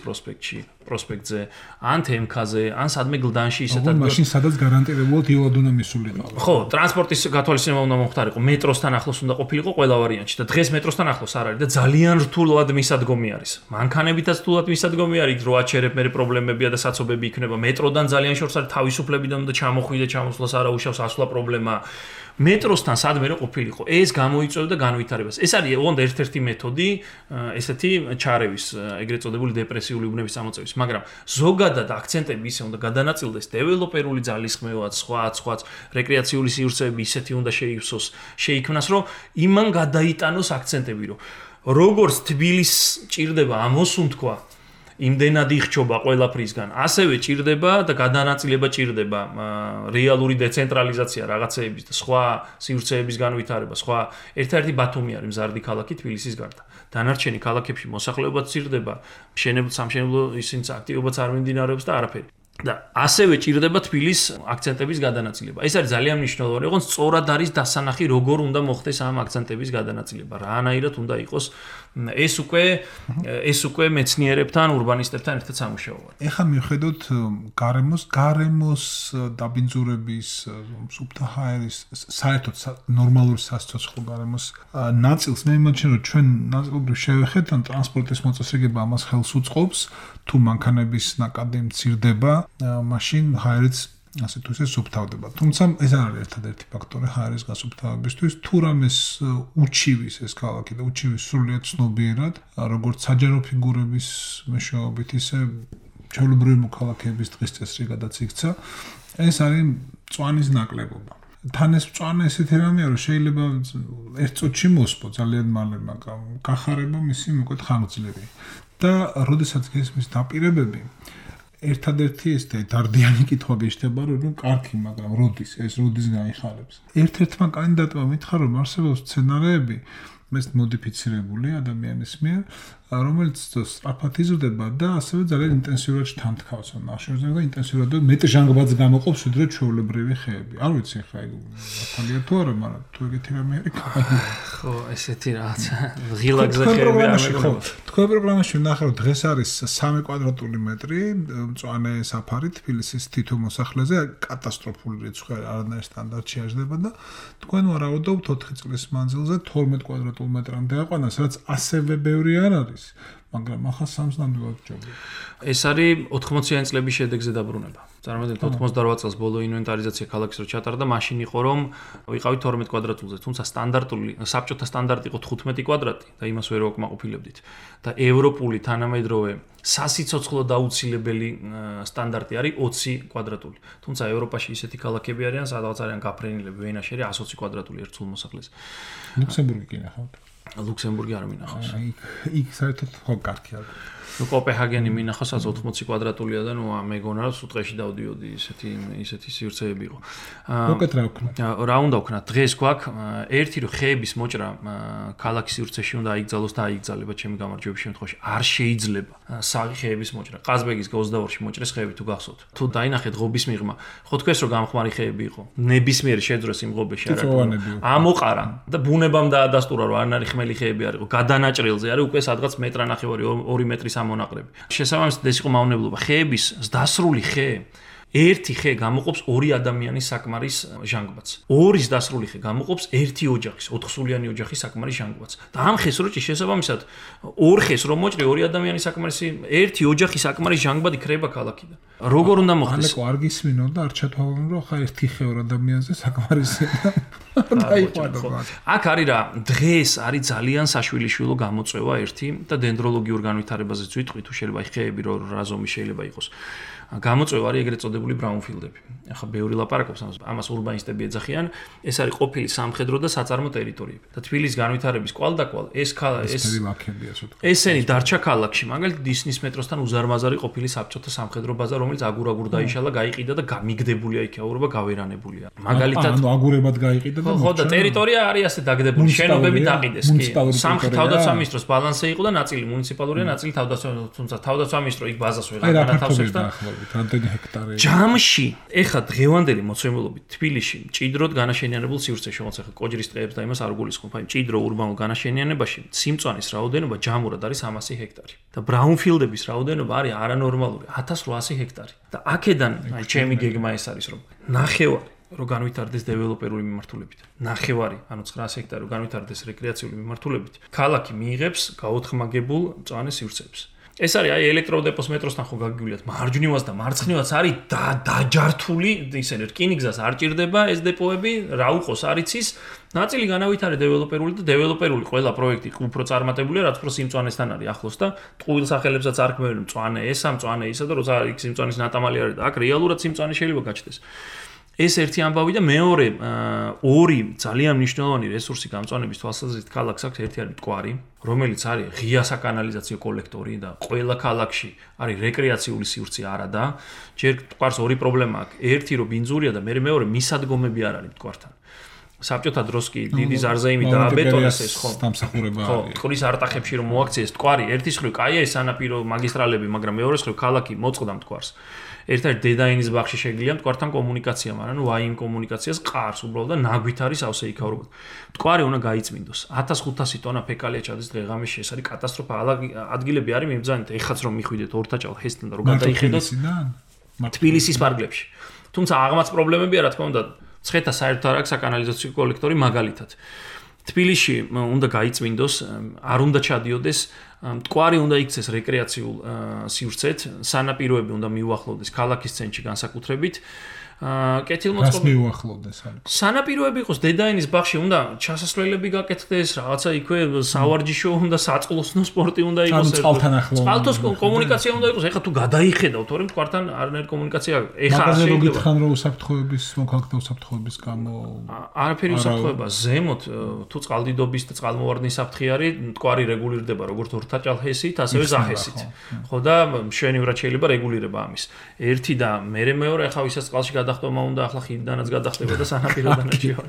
[SPEAKER 3] პროსპექტზე, ან თემქაზე, ან სადმე გლდანში ისეთ ადგილას.
[SPEAKER 4] მაშინ სადაც გარანტირებულად იოლად უნდა მისულიყო.
[SPEAKER 3] ხო, ტრანსპორტის გათვალისწინება უნდა მოხდარიყო, მეტროსთან ახლოს უნდა ყოფილიყო ყველა ვარიანტში და დღეს მეტროსთან ახლოს არ არის და ძალიან რთულად მისადგომი არის. მანქანებითაც რთულად მისადგომი არის, რო აჩერებ მე პრობლემებია და საცობები იქნება. მეტროდან ძალიან შორს არის თავისუფლებიდან უნდა ჩამოხვიდე, ჩამოსვლას არა უშავს ასვლა პრობლემა. მეტროსთან სადმე რო ყოფილიყო, ეს გამოიწვევდა განვითარებას. ეს არის ოღონდ ერთ-ერთი მეთოდი ესეთი ჩარევის, ეგრეთ წოდებული დეპრესიული უბნების წამოწევის, მაგრამ ზოგადად აქცენტები ისე უნდა გადანაწილდეს, დეველოპერული ძალისხმევაც, სხვაც, რეკრეაციული სივრცეები ისეთი უნდა შეიქმნას, რომ იმან გადაიტანოს აქცენტები, რომ როგორც თბილისს ჭირდება ამოსუნთქვა იმდენად იხჩობა ყველაფრისგან, ასევე ჭირდება და გადანაწილება ჭირდება რეალური დეცენტრალიზაცია რაღაცეების და სხვა სივრცეების განვითარება, სხვა ერთ-ერთი ბათუმი არის მზარდი ქალაქი თბილისის გარდა. დანარჩენი ქალაქებში მოსახლეობაც ჭირდება, სამშენებლო ისინიც აქტივობაც არ მიმდინარეობს და არაფერი. და ასევე ჭირდება თბილის აქცენტების გადანაწილება. ეს არის ძალიან მნიშვნელოვანი, ოღონდ სწორად არის დასანახი, როგორ უნდა მოხდეს ამ აქცენტების გადანაწილება, რანაირად უნდა იყოს ეს უკვე მეცნიერებთან, ურბანისტებთან ერთად სამუშაოა.
[SPEAKER 4] ეხლა მიხედოთ გარემოს დაბინძურების, სუფთა ჰაერის, საერთოდ ნორმალური სასიცოცხლო გარემოს ნაწილს მე მიმაჩნია, რომ ჩვენ ნაწილობრივ შევეხეთ, ან ტრანსპორტის მოწესრიგება ამას ხელს უწყობს, თუ მანქანების ნაკადი მცირდება, მაშინ ჰაერიც ასე თუ ისე სუფთავდება. თუმცა ეს არ არის ერთადერთი ფაქტორი ჰაერის გასუფთავებისთვის, თუ რამეს უჩივის ეს ქალაქი და უჩივის სრულიად ცნობიერად, როგორც საჯარო ფიგურების მეშვეობით, ისე ჩვეულებრივი მოქალაქეების დღის წესრი გადაც იქცა, ეს არის მწვანის ნაკლებობა. თან ეს მწვანე ესეთი რამეა, რომ შეიძლება ერთ წუთში მოსპო ძალიან მალე, მაგრამ გახარება მისი მოკლედ ხანგრძლივი. და როდესაც გესმის დაპირებები, ერთადერთი ეს დარდიანი კითხვა გეშთება, რომ კარგი, მაგრამ როდის გაიხარებს. ერთ-ერთმა კანდიდატმა მითხრა, რომ არსებობს სცენარები, ეს მოდიფიცირებული ადამიანის მიერ, რომელიც სწრაფად იზრდება და ასევე ძალიან ინტენსიურად შთანთქავს ამ ნახშირზე და ინტენსიურად მეტ ჟანგბადს გამოყოფს, ვიდრე ჩვეულებრივი ხეები. არ ვიცი ხა ეგ ახალია თუ არა, მაგრამ თუ ეგეთი რამე არის,
[SPEAKER 3] ხო, ესეთი რაღაც ღილაკზე ხეები არის.
[SPEAKER 4] თქვენ პროგრამაში ვნახავთ, დღეს არის 3 კვადრატული მეტრი მწვანე საფარი თბილისის თითო მოსახლეზე, კატასტროფული რიცხვი, არანაირ სტანდარტში აღждდება და თქვენ ვარაუდობთ 4 წლის მანძილზე 12 კვადრატულ მეტრამდე აყვანას, რაც ასევე ბევრი არ არის. მაგრამ ახლა 3-ს ნამდვილად ჯობია.
[SPEAKER 3] ეს არის 80-იანი წლების შედეგზე დაბრუნება. წარმოიდგინეთ 88 წელს ბოლო ინვენტარიზაცია ქალაქის რო ჩატარდა, მაშინ იყო რომ ვიყავით 12 კვადრატულზე, თუმცა სტანდარტული საბჭოთა სტანდარტი იყო 15 კვადრატი და იმას ვერ ვაკმაყოფილებდით. და ევროპული თანამედროვე სასიცოცხლო დაუცილებელი სტანდარტი არის 20 კვადრატული. თუმცა ევროპაში ისეთი ქალაქები არიან, სადაც არიან გაფრენილები, ვენაში არის 120 კვადრატული ერთ სულ მოსახლეს.
[SPEAKER 4] ლუქსემბურგი კი ნახავთ.
[SPEAKER 3] ლუქსემბურგი არ მინახავს.
[SPEAKER 4] იქ საერთოდ ხო კარგი არის.
[SPEAKER 3] კოპენჰაგენი მინახავს 80 კვადრატულია და ნუ მეგონა რომ სუტყეში დავდიოდი, ისეთი სივრცეები იყო.
[SPEAKER 4] უკეთ რა ვქნა?
[SPEAKER 3] რა უნდა ვქნა? დღეს გვაქვს ერთი რომ ხეების მოჭრა ქალაქის სივრცეში უნდა აიგზალოს და აიგზალება ჩემი გამარჯვების შემთხვევაში. არ შეიძლება საღი ხეების მოჭრა. ყაზბეგის 22-ში მოჭრეს ხეები თუ გახსოვთ. თუ დაინახეთ ღობის მიღმა, ხო თქვენს რომ გამხმარი ხეები იყო. ნებისმიერი შეძრეს იმ ღობეში არა. ამოყარა და ბუნებამ დაადასტურა რომ არნარი ხმელი ხეები არ იყო. გადანაჭრილზე არის უკვე სადღაც მეტრანახევარი 2 მეტრის ამონაყრები. შესაბამისად ეს იყო მავნებლობა. ხეების დასრული ხე ერთი ხე გამოყოფს ორი ადამიანის საკმარის ჟანგბადს. ორის დასრული ხე გამოყოფს ერთი ოჯახის, 4 სულიანი ოჯახის საკმარის ჟანგბადს. და ამ ხეს რო ჭი შესაბამისად ორ ხეს რომ მოჭრი ორი ადამიანის საკმარისი ერთი ოჯახის საკმარის ჟანგბადი ქრება ქალაქიდან. როგორ უნდა მოხდეს?
[SPEAKER 4] ალეკო არ გისმინო და არ ჩათვალონ რომ ხა ერთი ხე ორ ადამიანზე საკმარისია და დაიყვანო.
[SPEAKER 3] აქ არის რა, დღეს არის ძალიან საშვილიშვილო გამოწვევა ერთი და დენდროლოგიურ განვითარებაზეც ვიტყვი თუ შეიძლება ხეები რა ზომის შეიძლება იყოს. გამოწვევა არის ეგრეთ წოდებული ბრაუნფილდები. ახლა ბევრი ლაპარაკობს ამას ურბანისტები ეძახიან, ეს არის ყოფილი სამხედრო და საწარმო ტერიტორიები. და თბილისის განვითარების კვალდაკვალ ესენი დარჩა ქალაქში, მაგალითად დისნის მეტროსთან უზარმაზარი ყოფილი საბჭოთა სამხედრო ბაზა, რომელიც აგურ დაიშალა, გაიყიდა და გამიგდებულია იქაურობა, გავერანებულია. მაგალითად
[SPEAKER 4] ანუ აგურებად გაიყიდა და
[SPEAKER 3] ხო და ტერიტორია არის ასე დაგდებული, შენობები დაყიდეს კი. სამხედრო თავდაცვა მინისტროს ბალანსი იყო და ნაწილი მუნიციპალურია, ნაწილი თავდაცვა, თუმცა თავდაცვა მინისტრო იქ ბაზას ვეღარ განათავსებს და
[SPEAKER 4] რამდენი ჰექტარი.
[SPEAKER 3] ჯამში ეხა დღევანდელი მოცემულობით თბილისში მჭიდროდ განაშენიანებულ სივრცეში, რომელიც ეხა კოჯრის ტყეებს და იმას არ გულისხმობ, აი მჭიდრო ურბანულ განაშენიანებაში სიმწვანის რაოდენობა ჯამურად არის 300 ჰექტარი და ბრაუნფილდების რაოდენობა არის არანორმალური 1800 ჰექტარი. და აქედან აი ჩემი გეგმა ეს არის რომ ნახევარი რო განვითარდეს დეველოპერული მიმართულებით. ნახევარი, ანუ 900 ჰექტარი რო განვითარდეს რეკრეაციული მიმართულებით, ქალაქი მიიღებს გაოთხმაგებულ მწვანე სივრცეებს. ეს არის აი ელექტროდეპოს მეტროსთან ხო გაგიგულიათ მარჯვნივაც და მარცხნივაც არის დაჯართული ისინი რკინიგზას არ ჭირდება ეს დეპოები რა უყოს არიცის ნაწილი განავითარე დეველოპერული და დეველოპერული ყველა პროექტი უფრო წარმატებულია რაც უფრო სიმწვანესთან არის ახლოს და ტყუილ სახელებსაც არ ქმნიან მწვანე ესა მწვანე ისა და როცა იქ სიმწვანის ნატამალი არის და აქ რეალურად სიმწვანე შეიძლება გაჩნდეს ეს ერთი ამბავი და მეორე ორი ძალიან მნიშვნელოვანი რესურსი გამწვანების თვალსაზრისით ქალაქს აქვს ერთი არის მტკვარი რომელიც არის ღია საკანალიზაციო კოლექტორი და ყველა ქალაქში არის რეკრეაციული სივრცე არა და ჯერ მტკვარს ორი პრობლემა აქვს ერთი რომ ბინძურია და მეორე მისადგომები არ არის მტკვართან საბჭოთა დროს კი დიდი ზარზეიმი დააბეტონეს ეს ხო
[SPEAKER 4] დამსახურება
[SPEAKER 3] არის ხო მტკვრის არტახებში რომ მოაქციეს მტკვარი ერთის ხრივ კაია ეს სანაპირო მაგისტრალები მაგრამ მეორეს ხრივ ქალაქი მოწყდა მტკვარს ერთ-ერთ დედაინის ბაღში შეგიძლია მტკვართან კომუნიკაცია, მაგრამ ნუ აი იმ კომუნიკაციას ყარს უბრალოდ და ნაგვით არის ავსე იქაურობა. მტკვარი უნდა გაიწმინდოს. 1500 ტონა ფეკალია ჩადის დღეღამეში, ეს არის კატასტროფა. ადგილები არის მიმბრძანეთ, ეხაც რომ მიხვიდეთ ორთაჭალ ჰესთან და რომ გადაიხედოთ თბილისის პარკლებში. თუმცა აღმაც პრობლემებია, რა თქმა უნდა, ცხეთა საერთოდ არ აქვს საკანალიზაციო კოლექტორი მაგალითად. თბილისში უნდა გაიწმინდოს, არ უნდა ჩადიოდეს მტკვარი უნდა იქცეს რეკრეაციულ სივრცეთ, სანაპიროები უნდა მიუახლოვდეს ქალაქის ცენტრში განსაკუთრებით. კეთილმოწყობილ
[SPEAKER 4] მიუახლოვდეს.
[SPEAKER 3] სანაპიროები იყოს დედაინის ბაღში უნდა ჩასასვლელები გაკეთდეს, რაღაცა იქვე სავარჯიშო უნდა საწყლოსნო სპორტი უნდა იყოს. წყალთოს კომუნიკაცია უნდა იყოს. ეხლა თუ გადაიხედავთ, თორემ მტკვართან არანაირი კომუნიკაცია ეხლა
[SPEAKER 4] არ შეიძლება. მაგაზე რო გითხან რომ უსაფრთხოების მოქალაქეთა უსაფრთხოების გამო
[SPEAKER 3] არაფერი უსაფრთხოება ზემოთ თუ წყალდიდობის და წყალმოვარდნის საფრთხე არის, მტკვარი რეგულირდება როგორც ორთაჭალ ჰესით, ასევე ზახესით. ხო და მშვენივრად შეიძლება რეგულირება ამის. ერთი და მეორე ახლა ვისაც წყალში გადახტომა უნდა ახლა ხიდიდანაც გადახტება და სანაპიროდანაც შევა.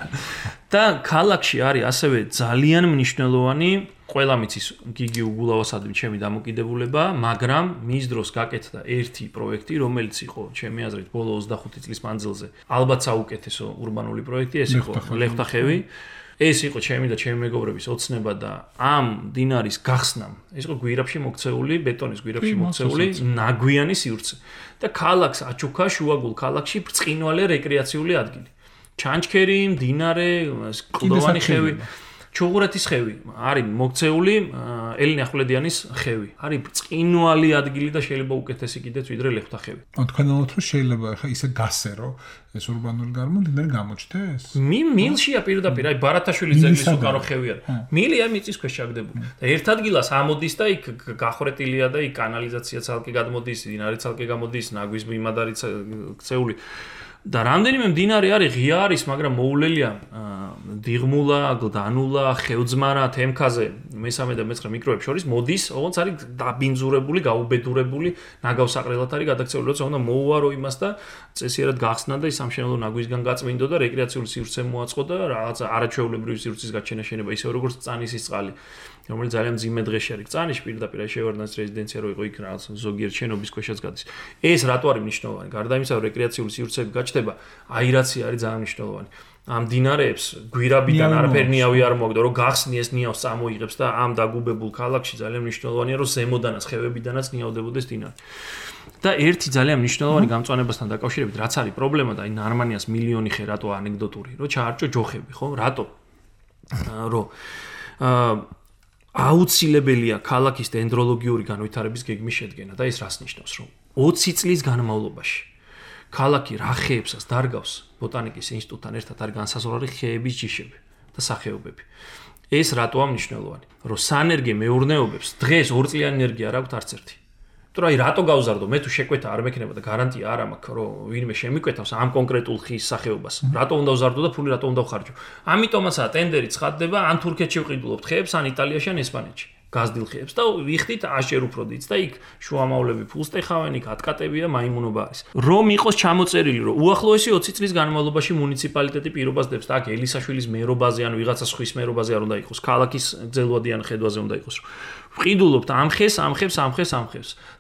[SPEAKER 3] და ქალაქში არის ასევე ძალიან მნიშვნელოვანი ყველა მიცის გიგი უგულავასადმი ჩემი დამოკიდებულება, მაგრამ მის დროს გაკეთდა ერთი პროექტი, რომელიც იყო ჩემი აზრით ბოლო 25 წლის მანძილზე ალბათ საუკეთესო ურბანული პროექტი, ეს იყო ლეხვთახევი. ეს იყო ჩემი და ჩემი მეგობრების ოცნება და ამ დინარის გახსნამ ეს იყო გვირაბში მოქცეული ბეტონის გვირაბში მოქცეული ნაგვიანი სივრცე და ქალაქს აჩუქა შუაგულ ქალაქში ბრწყინვალე რეკრეაციული ადგილი ჩანჩქერი მდინარე კლდოვანი ხევი ჩუღურეთის ხევი არის მოქცეული ელინე ახვლედიანის ხევი არის ბრწყინვალი ადგილი და შეიძლება უკეთესი კიდეც ვიდრე ლეხვთახევი
[SPEAKER 4] თქვენელოთ რომ შეიძლება ხა ისე გასერო ეს ურბანული გარემო მდინარე გამოჩნდეს
[SPEAKER 3] მილშია პირდაპირ აი ბარათაშვილის ძეგლის უკარო ხევი არის მილია მიწის ქვეშ ჩაგდებული და ერთ ადგილას ამოდის და იქ გახვრეტილია და იქ კანალიზაცია ცალკე გადმოდის დინარი ცალკე გამოდის ნაგვის მიმად არის ქცეული და რამდენიმე მდინარე არის ღია არის, მაგრამ მოულელია დიღმულა, გლდანულა, ხევძმარა, თემქაზე, მესამე და მეცხრე მიკროებს შორის მოდის, ოღონდ არის დაბინძურებული, გაუბედურებული, ნაგავსაყრელად არის გადაქცეული, როცა უნდა მოუვარო იმას და წესიერად გახსნა და ის სამშენებლო ნაგვისგან გაწმინდო და რეკრეაციული სივრცე მოაწყო და რაღაცა არაჩვეულებრივი სივრცის გაჩენა შენება, ისე როგორც წანისის წყალი. რომელიც ძალიან მძიმე დღეში არის წანიშ პირდაპირ შევარდნას რეზიდენცია რო იყო იქ რაღაც ზოგიერთ შენობის ქვეშაც გადის. ეს რატო არის მნიშვნელოვანი? გარდა იმისა, რომ რეკრეაციული სივრცეები გაჩნდება, აირაცია არის ძალიან მნიშვნელოვანი. ამ დინარეებს გვირაბიდან არაფერი ნიავი არ მოაგდო, რომ გახსნი ეს ნიავს წამოიღებს და ამ დაგუბებულ ქალაქში ძალიან მნიშვნელოვანია, რომ ზემოდანაც ხევებიდანაც ნიავდებოდეს დინარე. და ერთი ძალიან მნიშვნელოვანი გამწვანებასთან დაკავშირებით, რაც არის პრობლემა და აი ნარმანიას მილიონი ხე რატო ანეკდოტური, რომ ჩაარჭო ჯოხები, ხო? რატო? რომ აუცილებელია ქალაქის დენდროლოგიური განვითარების გეგმის შედგენა და ეს რას ნიშნავს, რომ 20 წლის განმავლობაში ქალაქი რა ხეებსაც დარგავს ბოტანიკის ინსტიტუტთან ერთად არის განსაზღვრული ხეების ჯიშები და სახეობები. ეს რატოა მნიშვნელოვანი? რომ სანერგე მეურნეობებს დღეს 2 წლიანი ენერგია არ აქვს არც ერთი. თუ აი რატო გავზარდო? მე თუ შეკვეთა არ მექნება და გარანტია არ მაქვს, რომ ვინმე შემიკვეთავს ამ კონკრეტულ ხის სახეობას. რატო უნდა ვზარდო და ფული რატო უნდა ვხარჯო? ამიტომაცაა ტენდერი ცხადდება ან თურქეთში ვყიდულობთ ხეებს, ან იტალიაში, ან ესპანეთში. გაზრდილ ხეებს და ვიხდით აშერ უფრო დიდს და იქ შუამავლები ფულს ტეხავენ, იქ ატკატებია, მაიმუნობა არის. რომ იყოს ჩამოწერილი, რომ უახლოესი 20 წლის განმავლობაში მუნიციპალიტეტი პირობას დებს და აქ ელისაშვილის მერობაზე ან ვიღაცა სხვის მერობაზე არ უნდა იყოს, ქალაქის გრძელვადი ან ხედვაზე უნდა იყოს. ვყიდულობთ ამ ხეს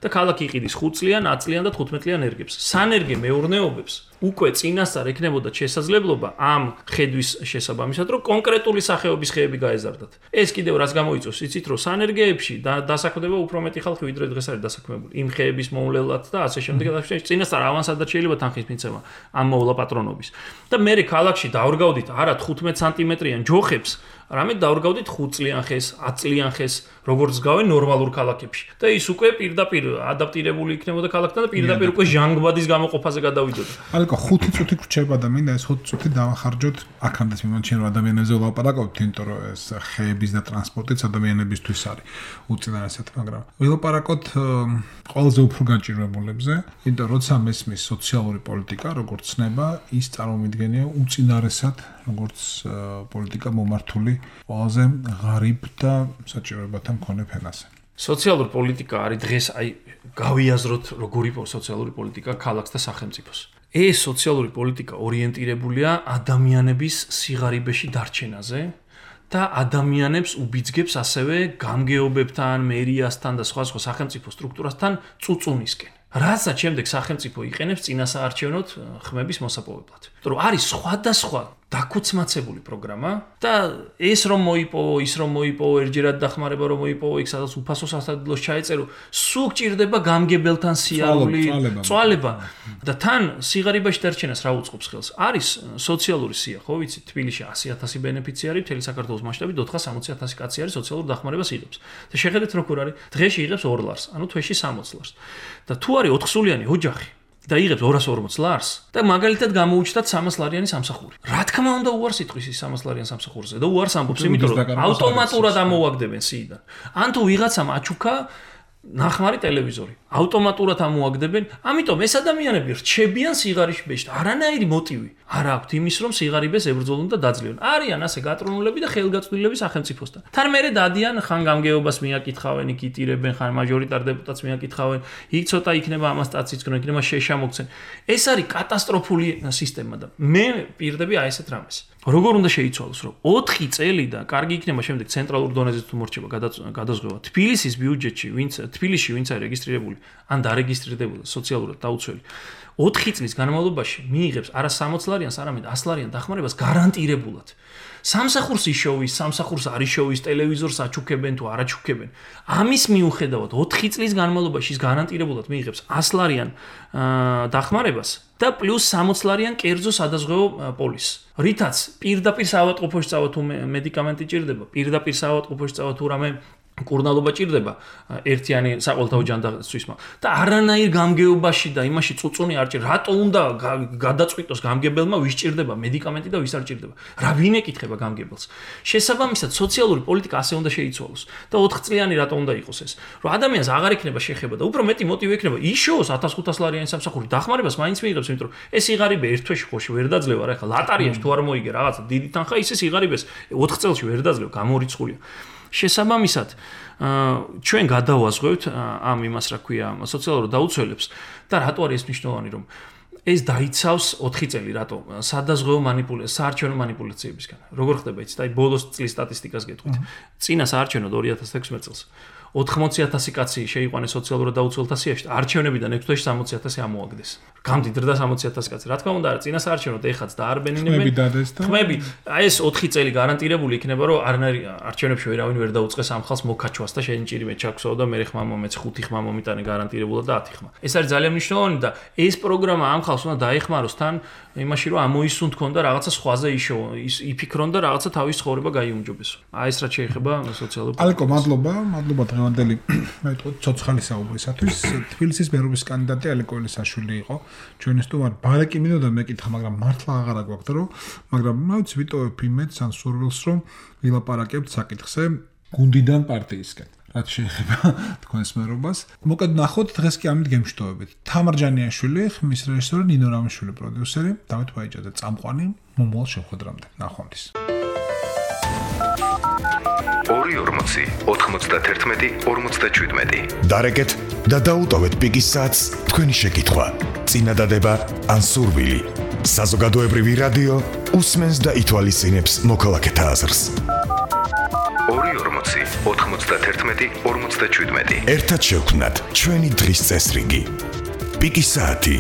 [SPEAKER 3] და ქალაქი იყიდის 5 წლიან, 10 წლიან და 15 წლიან ერგებს. სანერგე მეურნეობებს უკვე წინასწარ ექნებოდა შესაძლებლობა ამ ხედვის შესაბამისად, რომ კონკრეტული სახეობის ხეები გაეზარდათ. ეს კიდევ რას გამოიწვევს? იცით, რომ სანერგეებში დასაქმდება უფრო მეტი ხალხი, ვიდრე დღეს არის დასაქმებული. იმ ხეების მოვლელად და ასე შემდეგ. წინასწარ ავანსადად შეიძლება თანხის მიცემა ამ მოვლა პატრონობის. და მე ქალაქში დავრგავდით არა 15 სანტიმეტრიან ჯოხებს, არამედ დავრგავდით 5 წლიან ხეს, 10 წლიან ხეს, როგორც გავენ ნორმალურ ქალაქებში. და ის უკვე პირდაპირ ადაპტირებული იქნებოდა ქალაქთან და პირდაპირ უკვე ჟანგბადის გამოყოფაზე გადავიდოდა.
[SPEAKER 4] ალეკო 5 წუთი გრჩება და მინდა ეს 5 წუთი დავახარჯოთ აქამდე მიმოჩენ რომ ადამიანებზე ვლაპარაკობთ, იმიტომ რომ ეს ხეების და ტრანსპორტიც ადამიანებისთვის არის უწინარესად, მაგრამ ვილაპარაკოთ ყველაზე უფრო განჭირებულებზე, იმიტომ როცა მესმის სოციალური პოლიტიკა როგორც ცნება, ის წარმომიდგენია უწინარესად როგორც პოლიტიკა მომართული ყველაზე ღარიბ და საჭიროებათა მქონე ფენაზე.
[SPEAKER 3] სოციალური პოლიტიკა არის დღეს აი გავიაზროთ როგორი სოციალური პოლიტიკა ქალაქს და სახელმწიფოს. ეს სოციალური პოლიტიკა ორიენტირებულია ადამიანების სიღარიბეში დარჩენაზე და ადამიანებს უბიძგებს ასევე გამგეობებთან, მერიასთან და სხვა სახელმწიფო სტრუქტურასთან წუწუნისკენ. რასაც შემდეგ სახელმწიფო იყენებს წინასაარჩევნოდ ხმების მოსაპოვებლად. რომ არის სხვადასხვა დაქუცმაცებული პროგრამა და ეს რომ მოიპოვო, ის რომ მოიპოვო, ერჯერად დახმარება რომ მოიპოვო, იქ სადაც უფასო სასადილოს ჩაეწერო, სულ გჭირდება გამგებელთან სიარული, წვალება და თან სიღარიბეში დარჩენას რა უწყობს ხელს? არის სოციალური სია, ხო ვიცი, თბილისში 100,000 ბენეფიციარი, მთელი საქართველოს მასშტაბით 460,000 კაცი არის სოციალურ დახმარებას იღებს. და შეხედეთ როგორ არის, დღეში იღებს 2 ლარს, ანუ თვეში 60 ლარს. და თუ არის 4 სულიანი ოჯახი და იღებს 240 ლარს და მაგალითად გამოუჩნდათ 300 ლარიანი სამსახური. რა თქმა უნდა უარს იტყვის ის 300 ლარიან სამსახურზე და უარს ამბობს, იმიტომ რომ ავტომატურად ამოაგდებენ სიიდან. ან თუ ვიღაცამ აჩუქა ნახმარი ტელევიზორი, ავტომატურად ამოაგდებენ, ამიტომ ეს ადამიანები რჩებიან სიღარიბეში, არანაირი მოტივი არ აქვთ იმის, რომ სიღარიბეს ებრძოლონ და დაძლევენ. არიან ასე გატრონულები და ხელგაწვდილები სახელმწიფოსთან. თან მერე დადიან ხან გამგეობას მიაკითხავენ, იქ იტირებენ, ხან მაჟორიტარ დეპუტატს მიაკითხავენ, იქ ცოტა იქნება ამას სტაციისკენ, იქნება შეშა მოგცენ. ეს არის კატასტროფული სისტემა და მე პირდები აი ესეთ რამეს. როგორ უნდა შეიცვალოს, რომ 4 წელი და კარგი იქნება შემდეგ ცენტრალურ დონეზე თუ მორჩება გადაზღვა თბილისის ბიუჯეტში, თბილისში ვინც არის რეგისტრირებული, ან დარეგისტრირებული სოციალურად დაუცველი 4 წლის განმავლობაში მიიღებს არა 60 ლარიანს, არამედ 100 ლარიან დახმარებას გარანტირებულად. სამსახურს იშოვის, სამსახურს არ იშოვის, ტელევიზორს აჩუქებენ თუ არ აჩუქებენ. ამის მიუხედავად 4 წლის განმავლობაში ის გარანტირებულად მიიღებს 100 ლარიან დახმარებას და პლუს 60 ლარიან კერძო სადაზღვევო პოლისს. რითაც პირდაპირ საავადმყოფოში წავა თუ მედიკამენტი ჭირდება, პირდაპირ საავადმყოფოში წავა თუ რამე კურნალობა ჭირდება ერთიანი საყოველთაო ჯანდაცვისმა და არანაირ გამგეობაში და იმაში წუწუნი არ ჭირდება. რატო უნდა გადაწყვიტოს გამგებელმა ვის ჭირდება მედიკამენტი და ვის არ ჭირდება? რა ვინ ეკითხება გამგებელს? შესაბამისად სოციალური პოლიტიკა ასე უნდა შეიცვალოს და 4 წლიანი რატო უნდა იყოს ეს? რომ ადამიანს აღარ იქნება შეხება და უფრო მეტი მოტივი ექნება იშოოს 1500 ლარიანი სამსახური დახმარებას მაინც მიიღებს, იმიტომ რომ ეს სიღარიბე ერთ თვეში ხო ვერ დაძლევა, რა ხა ლატარიაში თუ არ მოიგე რაღაცა დიდი თანხა, ისე სიღარიბეს 4 წელში ვერ დაძლევ, გამორიცხულია. შესაბამისად, ჩვენ გადავაზღვევთ ამ იმას, რა ქვია, სოციალურ დაუცველებს და რატო არის ეს მნიშვნელოვანი, რომ ეს დაიცავს 4 წელი, რატო? სადაზღვევო საარჩევნო მანიპულაციებისგან. როგორ ხდება იცით? აი ბოლოს წლის სტატისტიკას გეტყვით. წინა საარჩევნოდ 2016 წელს 80,000 კაცი შეიყვანეს სოციალურად დაუცველთა სიაში, არჩევნებიდან 6 თვეში 60,000 ამოაგდეს. გამდიდრდა 60,000 კაცი. რა თქმა უნდა, წინა საარჩევნოდ ეხაც დაარბენინებენ. ხმები, აი ეს 4 წელი გარანტირებული იქნება, რომ არჩევნებში ვერავინ ვერ დაუწყეს ამ ხალხს მოკაჩვას და შენ ჭირიმე ჩაქვსაო და მე ხმა მომეც 5 ხმა მომიტანე გარანტირებულად და 10 ხმა. ეს არის ძალიან მნიშვნელოვანი და ეს პროგრამა ამ ხალხს უნდა დაეხმაროს თან იმაში, რომ ამოისუნ თქონდა რაღაცა სხვაზე იფიქრონ და რაღაცა თავის ცხოვრება გაიუმჯობესო. აი ეს რაც შეეხება სოციალურ
[SPEAKER 4] ალეკო, მადლობა დღევანდელი ცოცხალი საუბრისათვის. თბილისის მერობის კანდიდატი ალეკო ელისაშვილი იყო. ჩვენი სტუმარი ბარეკი მინდოდა მეკითხა, მაგრამ მართლა აღარა გვაქვს რომ, მაგრამ რა ვიცი, ვიტოვებ იმედს ან სურვილს, რომ ვილაპარაკებთ საკითხზე გუნდიდან პარტიისკენ. რაც შეეხება თქვენს მერობას. მოკედ ნახოთ, დღეს კი ამით გემშვიდობებით. თამარ ჯანიაშვილი, ხმის რეჟისორი, ნინო რამიშვილი პროდიუსერი, დავით ვაიჭაძე წამყვანი, მომავალ შეხვედრამდე. ნახვამდის.
[SPEAKER 1] 240 91 57. დარეკეთ და დაუტოვეთ პიკის საათს თქვენი შეკითხვა. წინადადება ან სურვილი. საზოგადოებრივი რადიო უსმენს და ითვალისწინებს მოქალაქეთა აზრს. 240 91 57. ერთად შევქმნათ ჩვენი დღის წესრიგი. პიკის საათი